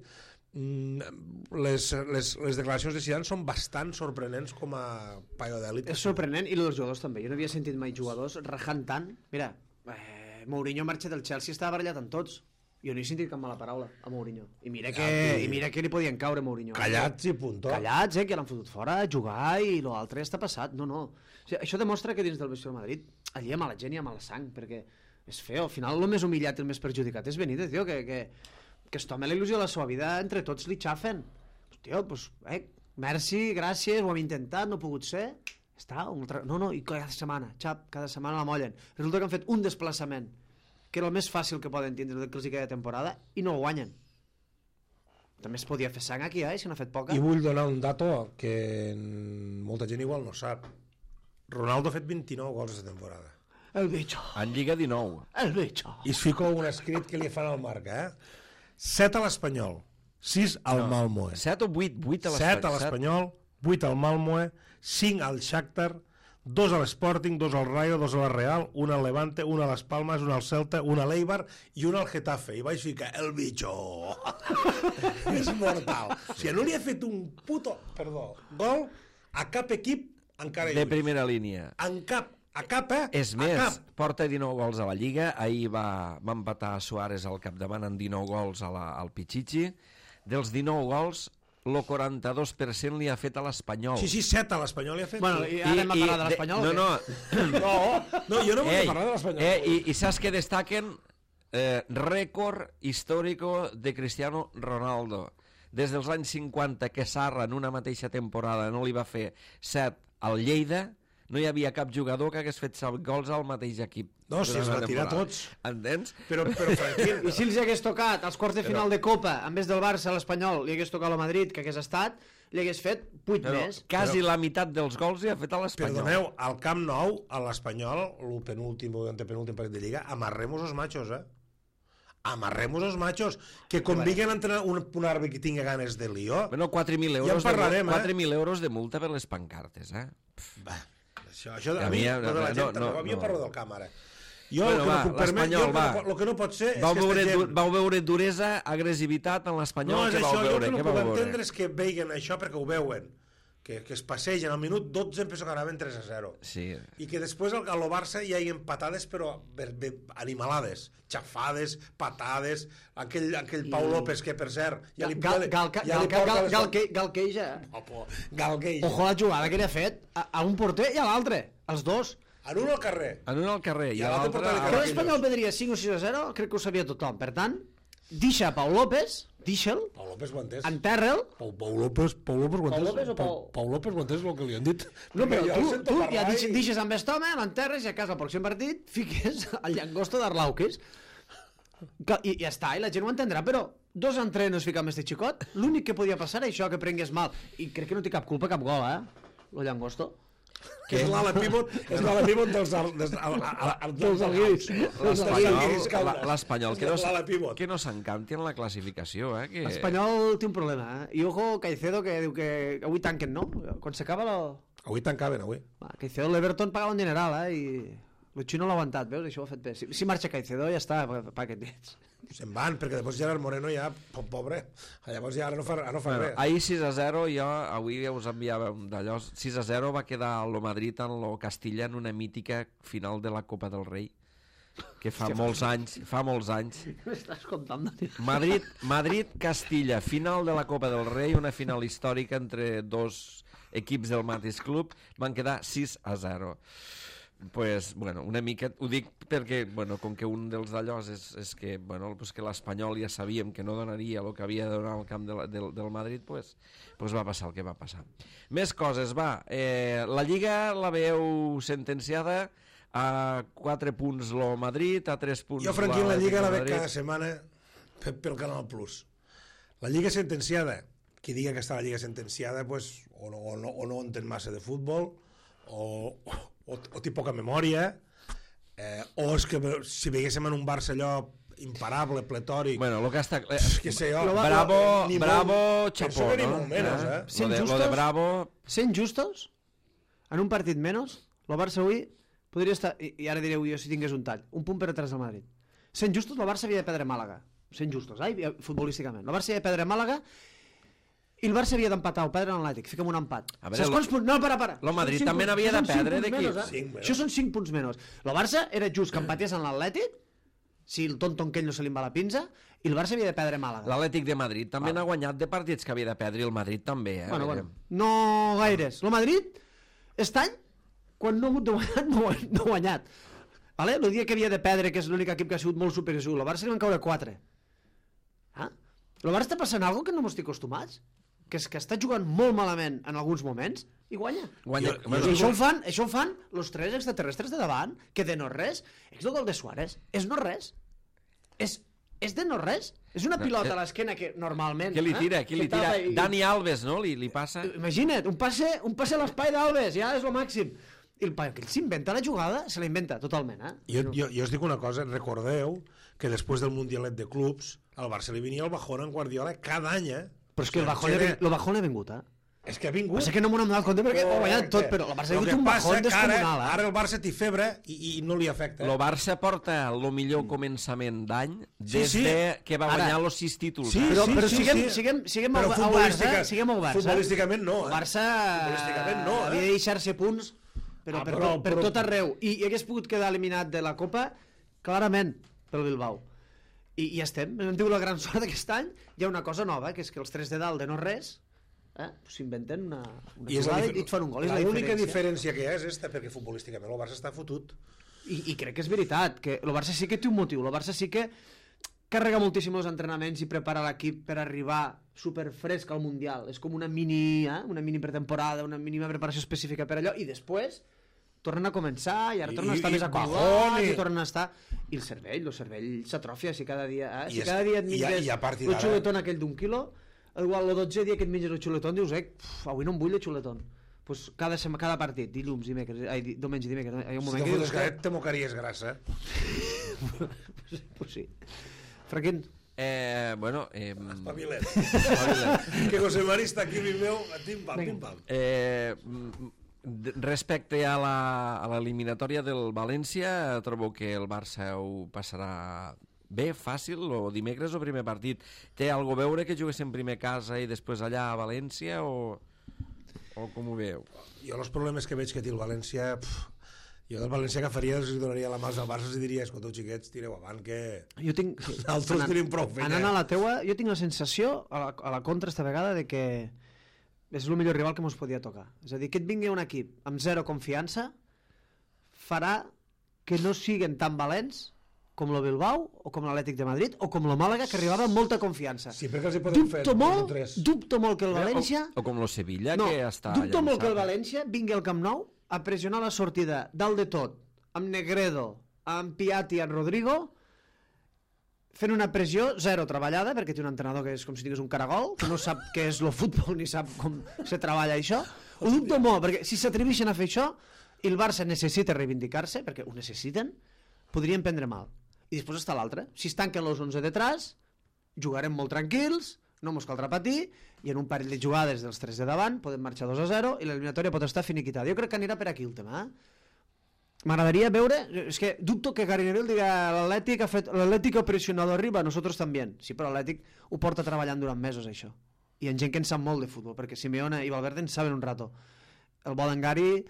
Les declaracions de Zidane són bastant sorprenents com a paio d'èlit. És sorprenent, i els jugadors també. Jo no havia sentit mai jugadors rajant tant. Mira, Mourinho marxa del Chelsea, estava barallat amb tots. Jo no he sentit cap mala paraula a Mourinho. I mira que li podien caure Mourinho. Callats i puntó. Callats, que l'han fotut fora a jugar i l'altre està passat. No. O sigui, això demostra que dins del vestidor de Madrid allí hi ha mala gent i hi ha mala sang, perquè és feo. Al final el més humillat i el més perjudicat és Benítez, tio, que es toma la il·lusió de la seva vida, entre tots li xafen. Tio, doncs, merci, gràcies, ho hem intentat, no ha pogut ser. Està, no, i cada setmana, cada setmana la mollen. Resulta que han fet un desplaçament que era el més fàcil que poden tindre que els hi queda temporada, i no el guanyen. També es podia fer sang aquí, si n'ha fet poca. I vull donar un dato que molta gent igual no sap. Ronaldo ha fet 29 gols aquesta temporada. El bicho. En Lliga 19. El bicho. I es fico un escrit que li fan al Marca, 7 a l'Espanyol, 6 al Malmoe. 7 o 8? 8 a l'Espanyol. 7 a l'Espanyol, 8 al Malmoe, 5 al Shakhtar, 2 a l'Sporting, 2 al Rayo, 2 a la Real, 1 al Levante, 1 a les Palmas, 1 al Celta, 1 a l'Eibar i 1 al Getafe. I vaig ficar el bicho. És mortal. O sigui, no li ha fet un puto, gol a cap equip encara de primera línia. En cap, a cap, És més, porta 19 gols a la Lliga. Ahir va empatar Suárez al capdavant amb 19 gols al Pichichi. Dels 19 gols, el 42% li ha fet a l'Espanyol. Sí, 7 a l'Espanyol li ha fet. Bueno, i ara hem de parlar de l'Espanyol? No, jo no vull parlar de l'Espanyol. I saps que destaquen rècord històrico de Cristiano Ronaldo. Des dels anys 50 que Sarra en una mateixa temporada no li va fer 7 al Lleida, no hi havia cap jugador que hagués fet 7 gols al mateix equip. No, si es va tirar tots. Entens? Però Franquín... I si els hagués tocat als quarts de final de Copa, en vez del Barça a l'Espanyol, li hagués tocat el Madrid, que hagués estat, li hagués fet 8 més. Quasi la meitat dels gols li ha fet a l'Espanyol. Perdoneu, al Camp Nou, a l'Espanyol, el penúltim o antepenúltim partit de Lliga, amarremos els machos, Amarremos els machos, que conviguen a entrenar un àrbitre que tingui ganes de lío. Bueno, 4.000 euros, ja en parlarem, 4.000 euros de multa per les pancartes, Va, això a mi de la gent, a mi em parlo del camp, ara. Jo bueno, el que no pot ser és que aquesta gent... Vau veure duresa, agressivitat en l'Espanyol? No, és això, jo el que no puc entendre és que veien això perquè ho veuen, que es passegen al minut 12 penso que anaven 3-0. Sí. I que després al Barça hi hagi patades però animalades, xafades, patades, aquell Pau López que per cert Galqueja. Ojo la jugada que li ha fet a un porter i a l'altre, els dos. En un al carrer. I a l'altre... Que l'Espanyol perdria 5 o 6-0, crec que ho sabia tothom. Per tant, deixa Pau López, deixa'l, Pau López ho ha entès. enterra'l. Pau López ho ha entès. Pau López ho ha entès el que li han dit. No, però tu ja deixes amb aquest home, l'enterres i a casa al pròxim partit fiques el llangosto d'Arlauquis i ja està, i la gent ho entendrà, però 2 entrenos ficar amb este xicot, l'únic que podia passar era això, que prengués mal, i crec que no té cap culpa, cap gol, el llangosto. Que és l'ala pivot dels alguiris. L'Espanyol, que no s'encanti en la classificació, que... L'Espanyol té un problema, I ojo Caicedo, que diu que avui tanquen, no? Quan s'acaba Avui tancaven, avui. Caicedo, l'Everton pagava un dineral, I el Xino l'ha aguantat, veus? Això ho ha fet bé. Si marxa Caicedo ja està, pa que tens. Se'n van, perquè després Gerard Moreno ja, pobre, llavors ja ara no fa res. Ahir 6-0, jo avui us enviava d'allò, 6-0 va quedar el Madrid en el Castilla en una mítica final de la Copa del Rei, que fa molts anys. M'estàs contant, Daniel? Madrid-Castilla, final de la Copa del Rei, una final històrica entre dos equips del mateix club, van quedar 6-0. Pues, bueno, una mica, ho dic perquè, bueno, com que un dels d'allòs és que, bueno, pues que l'Espanyol ja sabíem que no donaria el que havia de donar al camp del Madrid, pues va passar el que va passar. Més coses, va. La Lliga la veieu sentenciada a 4 punts el Madrid, a 3 punts... Jo, Franquín, la Lliga la veig cada setmana pel Canal Plus. La Lliga sentenciada, qui diga que està la Lliga sentenciada, pues, o no entén massa de futbol, o té poca memòria, o és que si veiéssim en un Barça allò imparable, pletòric... Bueno, el que està... que sé jo... Bravo, Chapó, no? Ni molt menys, Sent justos? Bravo... Sent justos? en un partit menys, el Barça avui podria estar, i ara direu jo si tingués un tall, un punt per atrás del Madrid. Sent justos, el Barça havia de perdre Màlaga. Sent justos, futbolísticament. El Barça havia de perdre Màlaga i el Barça havia d'empatar o perdre l'Atlètic. Fica'm un empat. Veure, No, para. El Madrid també n'havia de perdre d'aquí. Això són 5 punts menys. El Barça era just que empatés en l'Atlètic, si el tonto aquell no se li va la pinza, i el Barça havia de perdre Màlaga. L'Atlètic de Madrid també n'ha guanyat de partits que havia de perdre, i el Madrid també. Bueno. No gaires. El Madrid, aquest any, quan no ha hagut de guanyar, no ha guanyat. Vale? El dia que havia de perdre, que és l'únic equip que ha sigut molt superior, el Barça li van caure 4. El Barça està passant alguna cosa que no m'estic acostumats, que és que està jugant molt malament en alguns moments i guanya. I això ho fan els 3 extraterrestres de davant, que de no res, és el gol de Suárez, és no res. És de no res. És una pilota a l'esquena que normalment... Qui li tira? Dani Alves, no? Li passa... Imagina't, un passe a l'espai d'Alves, ja és el màxim. I el paio que s'inventa la jugada, se la inventa totalment, Jo us dic una cosa, recordeu que després del Mundialet de Clubs al Barça li venia el bajón en Guardiola cada any, Però és que el bajón ha vingut, És que ha vingut. Passa que no m'ho hem donat compte perquè ho ha guanyat tot, però el Barça ha vingut un bajón descomunal. Ara el Barça té febre i no li afecta. El Barça porta el millor començament d'any des que va guanyar els 6 títols. Però siguem oberts. Futbolísticament no. El Barça havia de deixar-se punts per tot arreu. I hagués pogut quedar eliminat de la Copa clarament pel Bilbao. I ja estem. Hem tingut la gran sort d'aquest any. Hi ha una cosa nova, que és que els 3 de dalt de no res s'inventen una jugada i et fan un gol. L'única diferència que hi ha és esta, perquè futbolísticament el Barça està fotut. I crec que és veritat, que el Barça sí que té un motiu. El Barça sí que carrega moltíssim els entrenaments i prepara l'equip per arribar superfresc al Mundial. És com una mini pretemporada, una mínima preparació específica per allò, i després tornen a començar i ara tornen a estar més acollats i tornen a estar... I el cervell s'atrofia si cada dia... Si cada dia et menges el xuletón aquell d'1 quilo, igual el 12 dia que et menges el xuletón dius, avui no em vull el xuletón. Pues cada partit, dilluns, diumenge, dimecres... Si te fotes garet, te mocaries grassa. Pues sí. Franquín? Espavilet. Que José Mari està aquí, meu, pim-pam. Respecte a l'eliminatòria del València, trobo que el Barça ho passarà bé, fàcil, o dimecres o primer partit. Té alguna a veure que juguessin primer a casa i després allà a València, o com ho veu? Jo els problemes que veig que té el València... Jo del València agafaria, els donaria la mà al Barça i diria, escolteu, xiquets, tireu avant, que altres tenim prou feina. Anant a la teua, jo tinc la sensació, a la contra esta vegada, de que és el millor rival que ens podia tocar. És a dir, que et vingui un equip amb zero confiança farà que no siguen tan valents com el Bilbao o com l'Atlètic de Madrid o com el Màlaga, que arribava amb molta confiança. Sí, perquè els hi podem fer dubto molt que el València... O com el Sevilla, que està... Dubto molt que el València vingui al Camp Nou a pressionar la sortida dalt de tot, amb Negredo, amb Piatti i amb Rodrigo, fent una pressió zero treballada, perquè té un entrenador que és com si tingués un caragol, que no sap què és el futbol ni sap com se treballa això. Ho dubto molt, perquè si s'atreveixen a fer això i el Barça necessita reivindicar-se, perquè ho necessiten, podrien prendre mal. I després està l'altre. Si es tanquen els 11 detrás, jugarem molt tranquils, no mos caldrà patir, i en un parell de jugades dels 3 de davant podem marxar 2-0 i l'eliminatòria pot estar finiquitada. Jo crec que anirà per aquí el tema, M'agradaria veure, és que dubto que Gary Neville diga l'Atlètic ha presionado arriba, nosotros también. Sí, però l'Atlètic ho porta treballant durant mesos, això. I en gent que en sap molt de futbol, perquè Simeone i Valverde en saben un rato. El bo d'en Gary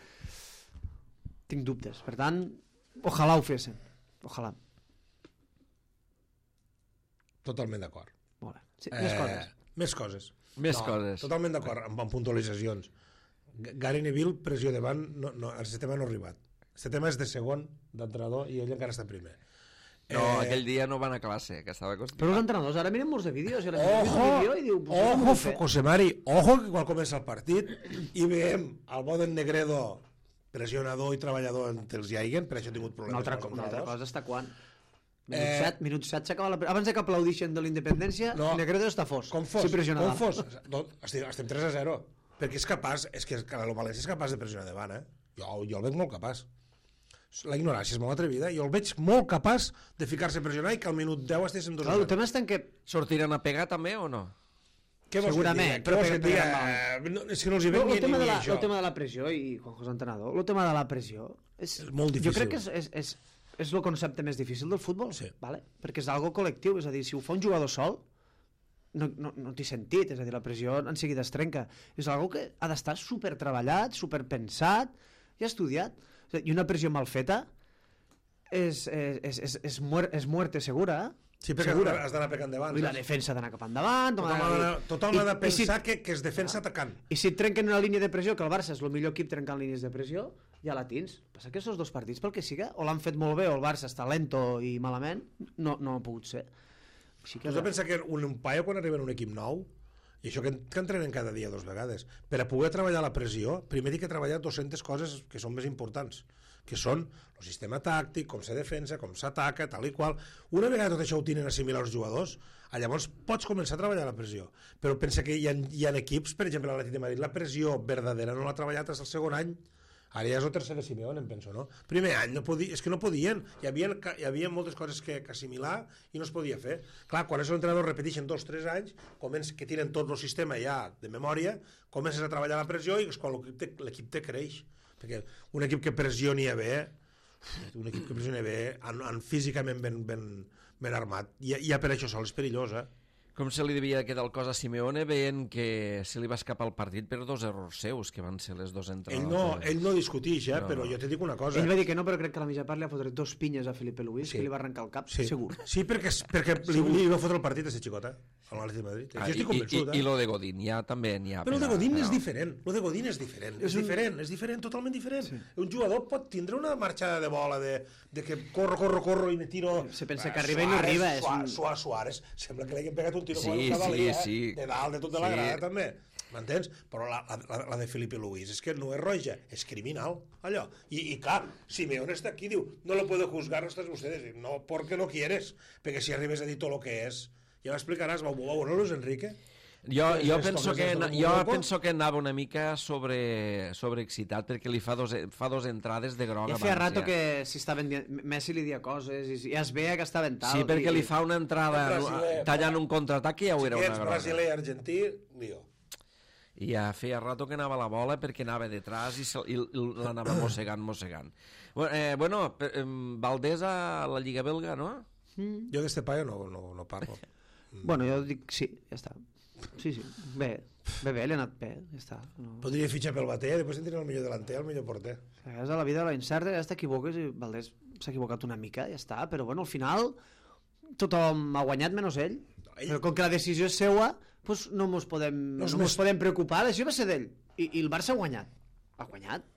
tinc dubtes. Per tant, ojalà ho fessin. Ojalà. Totalment d'acord. Molt bé. Sí, més coses. Més coses. Totalment d'acord, amb puntualitzacions. Gary Neville, pressió davant, el sistema no ha arribat. Este tema és de segon d'entrenador i ell encara està primer. No, aquell dia no van a classe, que estava constipat. Però els entrenadors ara miren molts de vídeos i ojo, José Mari, ojo que quan comença el partit i veiem el bo d'en Negredo pressionador i treballador entre els Jaigen, per això ha tingut problemes. Una altra cosa està quan? Minut 7 s'acaba abans que aplaudixen de l'independència, Negredo està fos. Com fos? Estem 3-0 perquè és capaç, és que el València és capaç de pressionar davant, jo el veig molt capaç. La ignorància és molt atrevida, jo el veig molt capaç de ficar-se a pressionar i que al minut 10 estiguéssim 2-0. El tema està en que... Sortiran a pegar també o no? segurament, però és que no els hi ven ni això. El tema de la pressió, i Juan José Entrenador, el tema de la pressió és molt difícil. Jo crec que és el concepte més difícil del futbol, vale? Perquè és algo col·lectiu, és a dir, si ho fa un jugador sol no té sentit, és a dir, la pressió en seguida es trenca. És algo que ha d'estar supertreballat, superpensat i estudiat. I una pressió mal feta és muerte segura, Sí, perquè has d'anar per endavant. I la defensa ha d'anar cap endavant. Tothom ha de pensar que es defensa atacant. I si et trenquen una línia de pressió, que el Barça és el millor equip trencant línies de pressió, ja la tens. Passa que aquests dos partits, pel que siga, o l'han fet molt bé o el Barça està lento i malament, no ha pogut ser. Tu has de pensar que un paio quan arriba en un equip nou, i això que entrenen cada dia 2 vegades, per a poder treballar la pressió, primer hi ha que treballar 200 coses que són més importants, que són el sistema tàctic, com se defensa, com s'ataca, tal i qual. Una vegada tot això ho tenen assimilar els jugadors, llavors pots començar a treballar la pressió. Però pensa que hi ha equips, per exemple, l'Atlètic de Madrid, la pressió verdadera no l'ha treballat fins al segon any. Ara ja és el tercer de Simeone, em penso, no? Primer any, és que no podien. Hi havia moltes coses que assimilar i no es podia fer. Clar, quan és l'entrenador repeteixen 2-3 anys, que tiren tot el sistema ja de memòria, comences a treballar la pressió i és quan l'equip te creix. Perquè un equip que pressioni bé, físicament ben armat, ja per això sol és perillós, Com se li devia quedar el cos a Simeone veient que se li va escapar el partit per 2 errors seus, que van ser les 2 entrades? Ell no discutix, però jo te dic una cosa. Ell va dir que no, però crec que a la mitja part li ha fotret 2 pinyes a Felipe Luis, que li va arrencar el cap, segur. Sí, perquè li va fotre el partit a ser xicota, a l'Atlètic de Madrid. Jo estic convençut. I lo de Godín, ja també n'hi ha. Però lo de Godín és diferent. És diferent, totalment diferent. Un jugador pot tindre una marxada de bola de que corro i me tiro... Se pensa que arriba i no arriba. Suárez, sembla que li hagin pegat un tiro quan cavalia, de dalt, de tot de la grada, també. M'entens? Però la de Felipe Luis és que no és roja, és criminal, allò. I clar, Simeone està aquí, diu, no lo puedo juzgar hasta ustedes. No, porque no quieres, perquè si arribes a dir tot lo que és, ja m'explicaràs, va veure Luis Enrique? Jo penso que anava una mica sobreexcitat perquè li fa dos entrades de groc ja feia rato que si estaven Messi li dia coses i ja es veia que estaven tal. Sí, perquè li fa una entrada tallant un contraatac i ja ho era una groga. Brasiler, argentí, lío. I ja feia rato que anava la bola perquè anava detrás i l'anava mossegant. Bueno, Valdés a la Lliga Belga, no? Jo d'este paio no parlo. Bueno, jo dic sí, ja està. Sí, bé, li ha anat bé, ja està. Podria fitxar pel Batea, després tindrà el millor delanter, el millor porter. És a la vida de la incerta, ja t'equivoques i Valdés s'ha equivocat una mica, ja està, però bueno, al final tothom ha guanyat menys ell. Però com que la decisió és seua, doncs no mos podem preocupar, això va ser d'ell. I el Barça ha guanyat. Ha guanyat?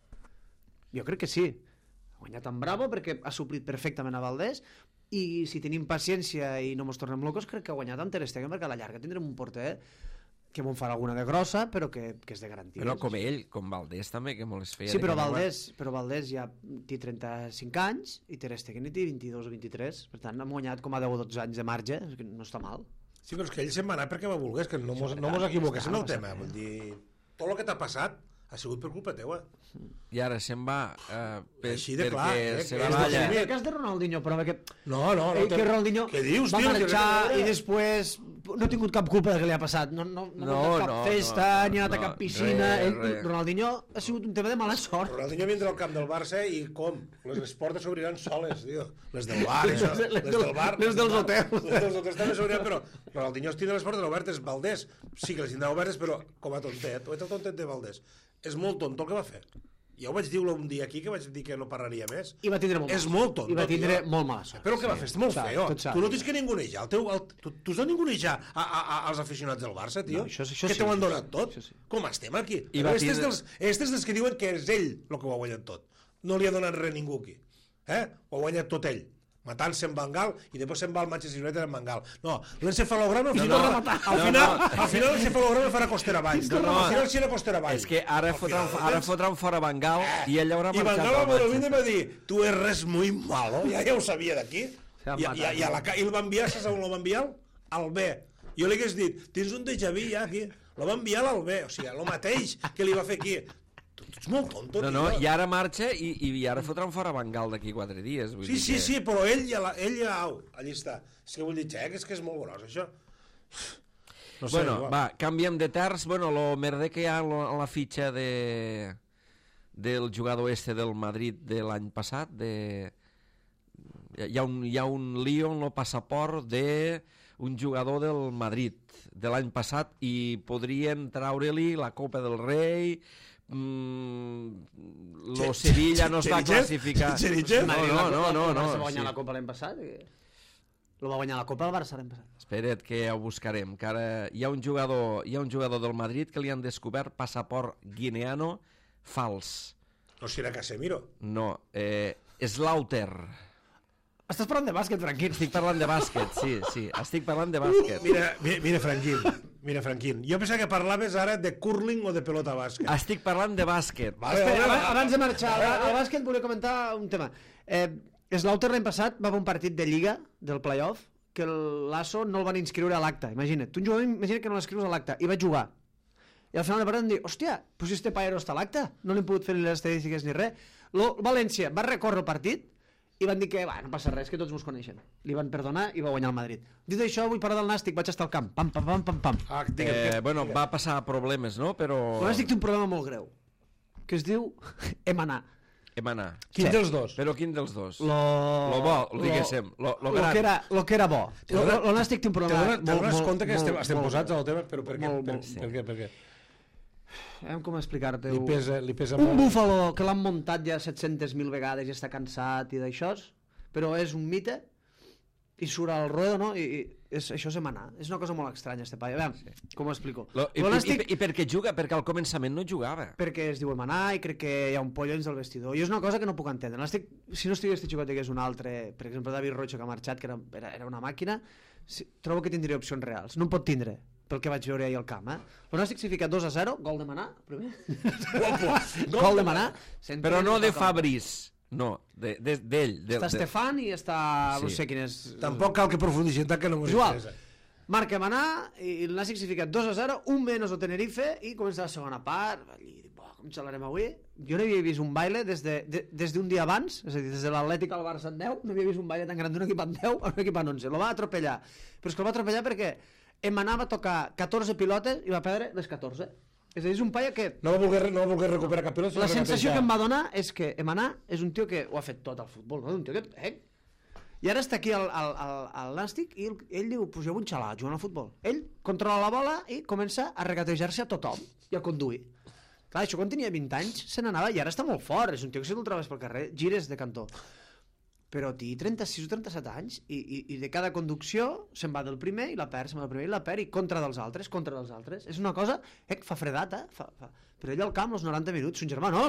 Jo crec que sí. Ha guanyat en Bravo perquè ha suplit perfectament a Valdés, i si tenim paciència i no mos tornem locos, crec que ha guanyat amb Ter Stegen, perquè a la llarga tindrem un porter que bon farà alguna de grossa, però que és de garantia. Però com ell, com Valdés també, que molt es feia. Sí, però Valdés ja té 35 anys i Ter Stegen té 22 o 23, per tant ha guanyat com a 10 o 12 anys de marge, no està mal. Sí, però és que ell se'n va anar perquè va voler, que no mos equivoqués en el tema, vull dir, tot el que t'ha passat ha sigut per culpa teua. I ara se'n va així de clar, se va allà. El cas de Ronaldinho, però que que Ronaldinho va marxar i després no ha tingut cap culpa del que li ha passat, no ha cap festa, ni ha anat a cap piscina. Ronaldinho ha sigut un tema de mala sort. Ronaldinho vindrà al camp del Barça i com? Les portes s'obriran soles, tio. Les del bar, les dels hotels. Les dels hotels també s'obriran, però Ronaldinho es tindrà les portes obertes. Valdés sí que les tindrà obertes, però com a tontet. O ets el tontet de Valdés. És molt tonto el que va fer. Ja ho vaig dir un dia aquí, que vaig dir que no parlaria més. I va tindre molt és molt tonto. I va tindre molt mala sort. Però el que va fer és molt feo. Tu no tens que ningunejar. Tu has de ningunejar als aficionats del Barça, tio. Que t'ho han donat tot. Com estem aquí? Estes dels que diuen que és ell el que ho ha guanyat tot. No li ha donat res ningú aquí. Ho ha guanyat tot ell. Matant-se en Bengal i després se'n va al Manchester United en Bengal. No, l'encefalograma al final l'encefalograma farà costera avall. Al final sí era costera avall. És que ara fotran fora Bengal i ell haurà marxat. I Bengal va venir a dir, tu eres muy malo, ja ho sabia d'aquí. I el va enviar, saps on el va enviar? Al B. Jo li hagués dit, tens un déjà vu ja aquí. El va enviar al B, o sigui, el mateix que li va fer aquí. Ets molt tonto, tio. No, i ara marxa i ara fotran fora Bengal d'aquí 4 dies. Sí, però ell ja allí està. És que vull dir, és que és molt gros, això. No sé, bueno, igual. va, canviem de terç. Bueno, lo merder que hi ha a la fitxa del jugador del Madrid de l'any passat, hi ha un lío en el passaport d'un jugador del Madrid de l'any passat i podrien traure-li la Copa del Rei. Lo Sevilla no es va classificar. No, va guanyar la Copa l'any passat. Lo va guanyar la Copa el Barça l'any passat. Espera't que ho buscarem, que ara hi ha un jugador del Madrid que li han descobert passaport guineano fals. No serà Casemiro? No, Slaughter. Estàs parlant de bàsquet, Franquín? Estic parlant de bàsquet, sí, estic parlant de bàsquet. Mira, Franquín, jo pensava que parlaves ara de curling o de pelota bàsquet. Estic parlant de bàsquet. Espera, abans de marxar al bàsquet volia comentar un tema. Slaughter l'any passat va haver un partit de Lliga, del playoff, que el Lasso no el van inscriure a l'acte, imagina't. Tu un jugador, imagina't que no l'escrius a l'acte, i va jugar. I al final de partit em diu, hòstia, pues este paero està a l'acte, no li hem pogut fer ni les estadístiques ni res. València va recórrer el partit i van dir que no passa res, que tots mos coneixen. Li van perdonar i va guanyar el Madrid. Dit això, vull parlar del Nàstic, vaig estar al camp. Pam. Bueno, va passar problemes, no? Però... El Nàstic té un problema molt greu, que es diu Emanar. Quin dels dos? Però quin dels dos? Lo bo, diguéssim. Lo gran. Lo que era bo. El Nàstic té un problema... Te dones compte que estem posats al tema, però per què? Per què? Com explicar-te-ho? Li pesa un molt. búfalo que l'han muntat ja 700.000 vegades i està cansat i d'això, però és un mite i surt al ruedo, no? I això és Emanar. És una cosa molt estranya, este paio. A veure, com ho explico? I per què juga? Perquè al començament no jugava. Perquè es diu Emanar i crec que hi ha un pollo dins del vestidor. I és una cosa que no puc entendre. Si no estigués este xicot que és un altre, per exemple, David Rocha, que ha marxat, que era una màquina, trobo que tindria opcions reals. No en pot tindre, pel que vaig veure ahir al camp. El Nàstic s'ha ficat 2-0, gol d'Emanar, primer. Gol d'Emanar. Però no de Fabriz. No, d'ell. Està Estefan i està... No sé quin és... Tampoc cal que profundicin tant que no m'ho interessa. Marca Emanar i el Nàstic s'ha ficat 2-0, un menys el Tenerife i comença la segona part. Com xalarem avui? Jo no havia vist un baile des d'un dia abans, és a dir, des de l'Atlètic al Barça en 10, no havia vist un baile tan gran d'un equip en 10 a un equip en 11. Lo va atropellar. Però és que el va atropellar perquè Emanar va tocar 14 pilotes i va perdre les 14. És a dir, és un paio que... No va voler recuperar cap pilota. La sensació que em va donar és que Emanar és un tio que ho ha fet tot al futbol, no? Un tio que... I ara està aquí al Nàstic i ell diu, pues jo vull xalar, jugant al futbol. Ell controla la bola i comença a regatejar-se a tothom i a conduir. Clar, això quan tenia 20 anys se n'anava i ara està molt fort, és un tio que si te'l trobes pel carrer, gires de cantó. Però té 36 o 37 anys i de cada conducció se'n va del primer i la perd, se'n va del primer i la perd i contra dels altres. És una cosa que fa fredat, però ell al camp, els 90 minuts, son germà fa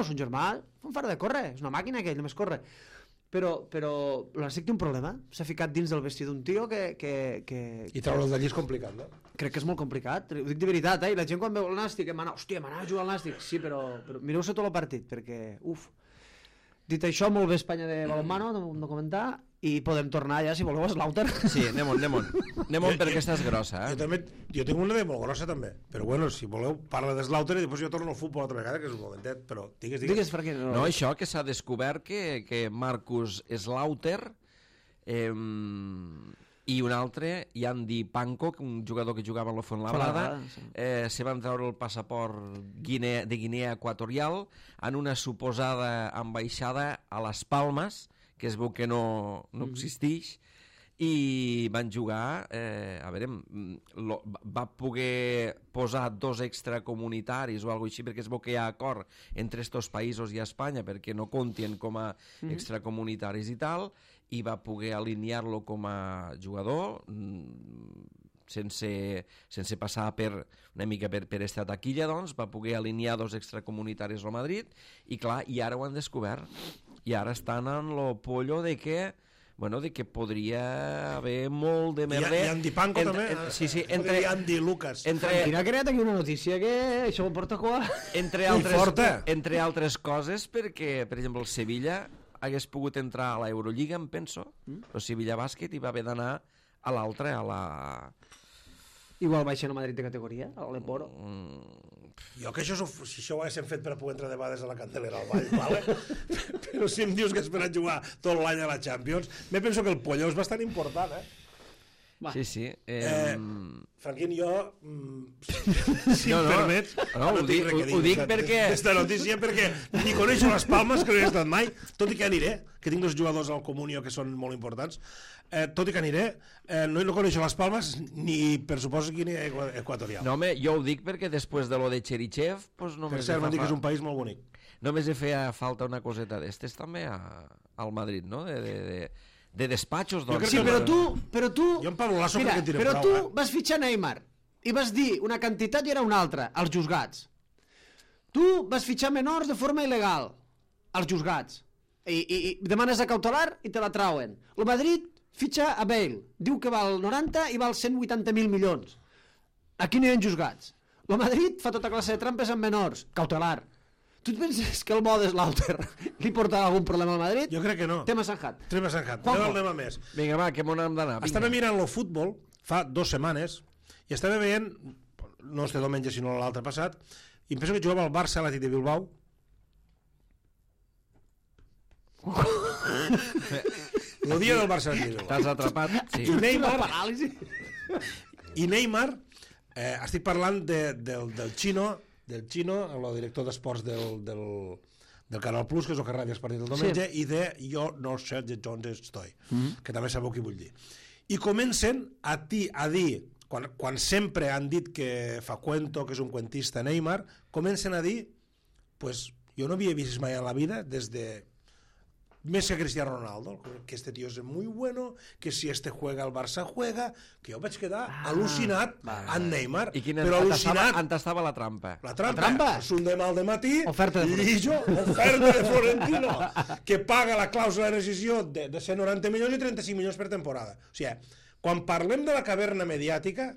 un far de córrer, és una màquina que ell només corre. Però el Nàstic té un problema, s'ha ficat dins del vestit d'un tio que... I treure'l d'allí és complicat, no? Crec que és molt complicat, ho dic de veritat, i la gent quan veu el Nàstic, hòstia, m'anava a jugar al Nàstic, sí, però mireu-se tot el partit, perquè, Dit això, molt bé Espanya de balonmano, de comentar, i podem tornar ja, si voleu, a Slaughter. Sí, anem-on perquè estàs grossa, Jo tinc una de molt grossa, també. Però bueno, si voleu, parla de Slaughter i després jo torno al futbol altra vegada, que és un momentet, però digues. Digues, perquè no, això que s'ha descobert que Marcus Slaughter i un altre, Yandi Panko, un jugador que jugava a la Fuenlabrada, se van treure el passaport de Guinea Equatorial en una suposada ambaixada a Les Palmes, que es veu que no existeix, i van jugar, va poder posar 2 extracomunitaris o alguna cosa així, perquè es veu que hi ha acord entre estos països i Espanya perquè no comptien com a extracomunitaris i tal, i va poder alinear-lo com a jugador sense passar una mica per esta taquilla, doncs va poder alinear 2 extracomunitaris al Madrid i clar, i ara ho han descobert i ara estan en lo pollo de que podria haver molt de merder. I Andy Panko també. Sí, entre Andy Lucas. Quina ha creat aquí una notícia que això ho porta a cua. Entre altres coses, perquè, per exemple, el Sevilla hagués pogut entrar a l'Eurolliga, em penso, el Sevilla Bàsquet, i va haver d'anar a l'altre, a la... Igual baixen a Madrid de categoria, a l'Eporo. Jo que si això ho haguéssim fet per a poder entrar de vegades a la Candelera al Vall, vale? Però si em dius que has per a jugar tot l'any a la Champions, me penso que el pollo és bastant important, Sí. Franquín, jo, si em permets, ho dic perquè... Aquesta notícia, perquè ni coneixo les Palmes, que no he estat mai, tot i que aniré, que tinc dos jugadors al Comunio que són molt importants, tot i que aniré, no coneixo les Palmes ni, per suposo, Guinea Equatorial. No, home, jo ho dic perquè després de lo de Cherichev... Pues per cert, m'han dit que és un país molt bonic. Només hi feia falta una coseta d'estes també al Madrid, no? De despatxos, doncs. Sí, però tu... Jo en Pablo Lasso crec que en tira però prou, tu vas fitxar Neymar i vas dir una quantitat i era una altra, als juzgats. Tu vas fitxar menors de forma il·legal, als juzgats. I demanes a cautelar i te la trauen. El Madrid fitxa a Bale, diu que val 90 i val 180.000 milions. Aquí no hi ha juzgats. El Madrid fa tota classe de trampes amb menors, cautelar. Tu et penses que el Modes Lauter li portarà algun problema al Madrid? Jo crec que no. Tema Sanjat. No anem a més. Vinga, va, que m'on hem d'anar. Estava mirant el futbol fa 2 setmanes i estava veient, no este diumenge sinó l'altre passat, i em penso que jugava el Barça a l'Atlètic de Bilbao. El dia del Barça a l'Atlètic de Bilbao. T'has atrapat? Sí. I Neymar, estic parlant del Chino, el director d'esports del Canal Plus, que és el que radia els partits del diumenge, i de Jo no sé de on estoy, que també sabeu què vull dir. I comencen a dir, quan sempre han dit que fa cuento, que és un cuentista Neymar, comencen a dir, pues jo no havia vist mai en la vida, des de més que Cristiano Ronaldo, que este tío es muy bueno, que si este juega el Barça juega, que jo vaig quedar al·lucinat amb Neymar, però al·lucinat. On estava la trampa? La trampa? És un demà al dematí, oferta de Florentino, que paga la clàusula de rescisió de 190 milions i 35 milions per temporada. O sigui, quan parlem de la caverna mediàtica,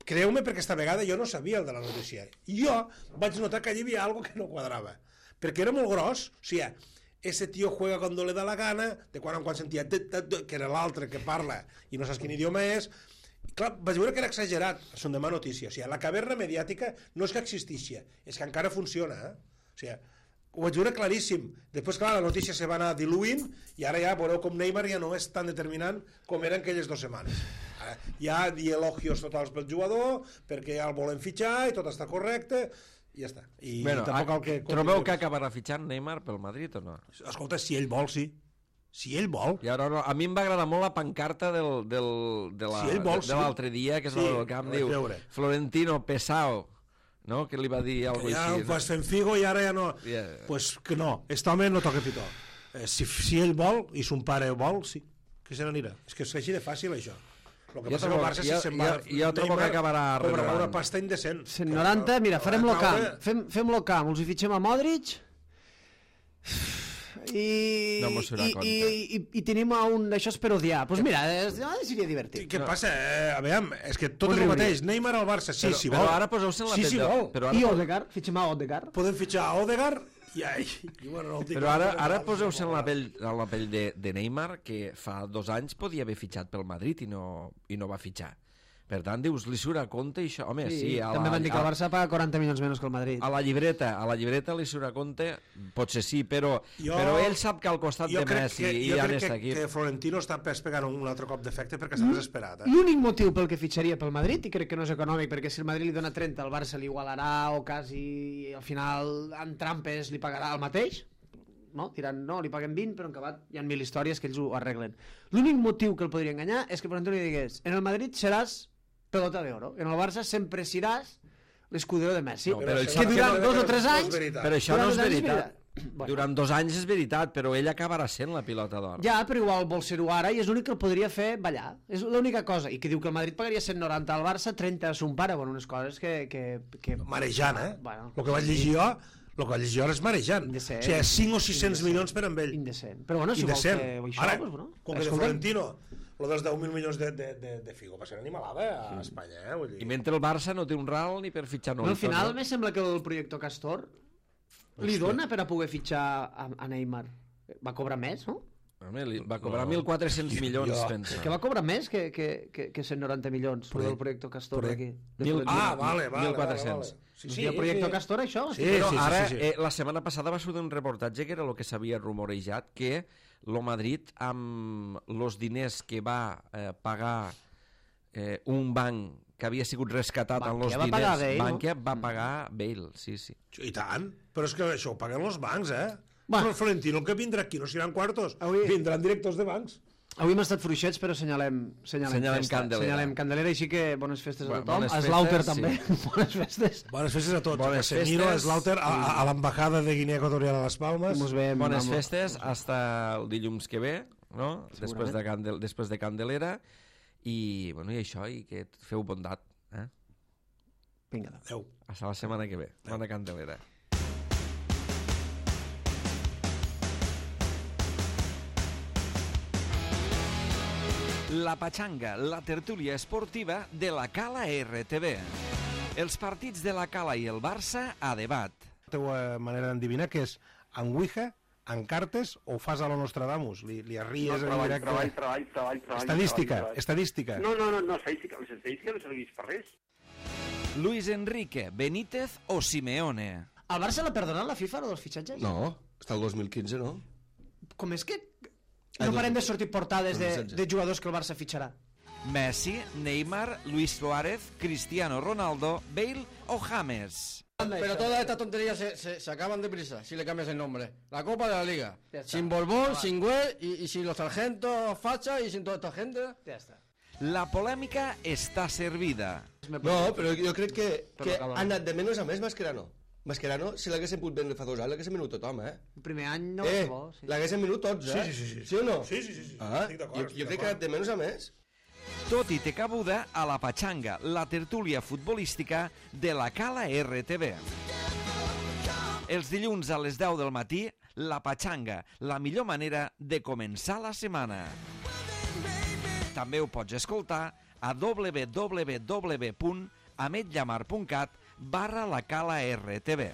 creu-me, perquè esta vegada jo no sabia el de la notícia. Jo vaig notar que hi havia algo que no quadrava, perquè era molt gros, o sigui, ese tío juega cuando le da la gana, de quan en quan sentia que era l'altre que parla i no saps quin idioma és. Clar, vaig veure que era exagerat, són demà notícia. O sigui, la caverna mediàtica no és que existixia, és que encara funciona. O sigui, ho vaig veure claríssim. Després, clar, la notícia se va anar diluint i ara ja veureu com Neymar ja no és tan determinant com era en aquelles 2 setmanes. Hi ha elogios totals pel jugador, perquè ja el volen fitxar i tot està correcte, i ja està. I bueno, trobeu que acabarà fitxant Neymar pel Madrid o no? Escolta, si ell vol, sí. Si ell vol. I ara, no, a mi em va agradar molt la pancarta de l'altre dia, que és el camp, diu Florentino Pesao, no? Que li va dir alguna cosa així. Ja vas fent figo i ara ja no. Pues que no, este home no toca pitó. Si ell vol, i son pare vol, sí, que se n'anirà. És que és així de fàcil, això. El que passa que el Barça si se'n va... Jo trobo que acabarà renovant. Una pasta indecent. 190, mira, farem-lo camp. Fem-lo camp, els hi fitxem a Modric i tenim un... Això és per odiar. Doncs mira, seria divertit. Què passa? A veure, és que tot és el mateix. Neymar al Barça, sí, si vol. Però ara poseu-se en la pell... I Odegaard, fitxem a Odegaard. Podem fitxar a Odegaard. Però ara poseu-se en la pell de Neymar, que fa 2 anys podia haver fitxat pel Madrid i no va fitxar. Per tant, dius, li surt a compte i això... Home, sí, també van dir que el Barça paga 40 milions menys que el Madrid. A la llibreta li surt a compte, potser sí, però ell sap que al costat de Messi i ja n'està aquí. Jo crec que Florentino està pegant un altre cop d'efecte perquè està desesperat. L'únic motiu pel que fitxaria pel Madrid, i crec que no és econòmic, perquè si el Madrid li dona 30, el Barça li igualarà o quasi, al final, en trampes li pagarà el mateix, no? Diran, no, li paguen 20, però en acabat hi ha 1000 històries que ells ho arreglen. L'únic motiu que el podria enganyar és que Florentino li digués, en el Madrid seràs pelota de oro. En el Barça sempre seràs l'escudero de Messi. No, però que durant 2 o 3 anys... Però això no és veritat. Durant 2 anys és veritat, però ell acabarà sent la pilota d'or. Ja, però igual vol ser-ho ara i és l'únic que el podria fer ballar. És l'única cosa. I que diu que el Madrid pagaria 190 al Barça, 30 a son pare. Bueno, unes coses que... Marejant, eh? Bueno, el que vaig llegir jo és marejant. O sigui, 5 o 600 milions per amb ell. Indecent. Però bueno, si vols fer això... Ara, com que de Florentino... Lo dels 10.000 milions de Figo va ser una animalada a Espanya, vull dir. I mentre el Barça no té un ral ni per fitxar Al final, me sembla que el projecte Castor li dona per a poder fitxar a Neymar. Va cobrar més, no? Home, va cobrar 1.400 milions, pensa. Que va cobrar més que 190 milions del projecte Castor d'aquí. Vale. 1.400. Sí, el projecte Castor, això? Sí. Ara, la setmana passada va sortir un reportatge que era el que s'havia rumorejat, que el Madrid, amb els diners que va pagar un banc que havia sigut rescatat amb els Bankia va pagar diners. Bale, no? Bankia va pagar Bale, sí. I tant, però és que això ho paguen els bancs, Va. Però Florentino que vindrà aquí no seran quartos, Avui- vindran directors de bancs. Avui hem estat fluixets, però senyalem Senyalem festa. Candelera. Senyalem Candelera, així que bones festes a Bueno, tothom. bones A Slaughter festes, també, bones festes. Bones festes a tots. Bones a Casemiro, festes. a Slaughter, a l'embajada de Guinea Equatorial a les Palmes. Mos veiem Bones amb- festes, hasta el dilluns que ve, no? Després de Candelera. I, bueno, i això, i que feu bondat. Vinga, Adéu. Hasta la setmana que ve. Bona Candelera. La Pachanga, la tertúlia esportiva de la Cala RTV. Els partits de la Cala i el Barça a debat. La teva manera d'endevinar que és en Ouija, en cartes o ho fas a lo Nostradamus? Li arries en directe? Treball. Estadística. No, estadística. L'estadística no serveix per res. Luis Enrique, Benítez o Simeone. El Barça l'ha perdonat la FIFA, lo dels fitxatges? No, està el 2015, no? Com és que no parem de sortir portades doncs, de jugadors que el Barça fitxarà? Messi, Neymar, Luis Suárez, Cristiano Ronaldo, Bale o James. Pero todas estas tonterías se acaban deprisa si le cambias el nombre. La Copa de la Liga. Sin Borbón, sin Güell y sin los sargentos facha y sin toda esta gente. Ja està. La polèmica està servida. No, però jo crec que ha anat de menys a més Mascherano. Mascherano, si l'haguessin pogut vendre fa 2 anys, l'haguessin venut tothom, El primer any no va ser bo. Sí. L'haguessin venut tots, Sí. Sí o no? Sí. Ah, Estic d'acord, jo crec que ha anat de menys a més. Tot i té cabuda a la Pachanga, la tertúlia futbolística de la Cala RTV. Els dilluns a les 10 del matí, la Pachanga, la millor manera de començar la setmana. També ho pots escoltar a www.ametllamar.cat/la Cala RTV.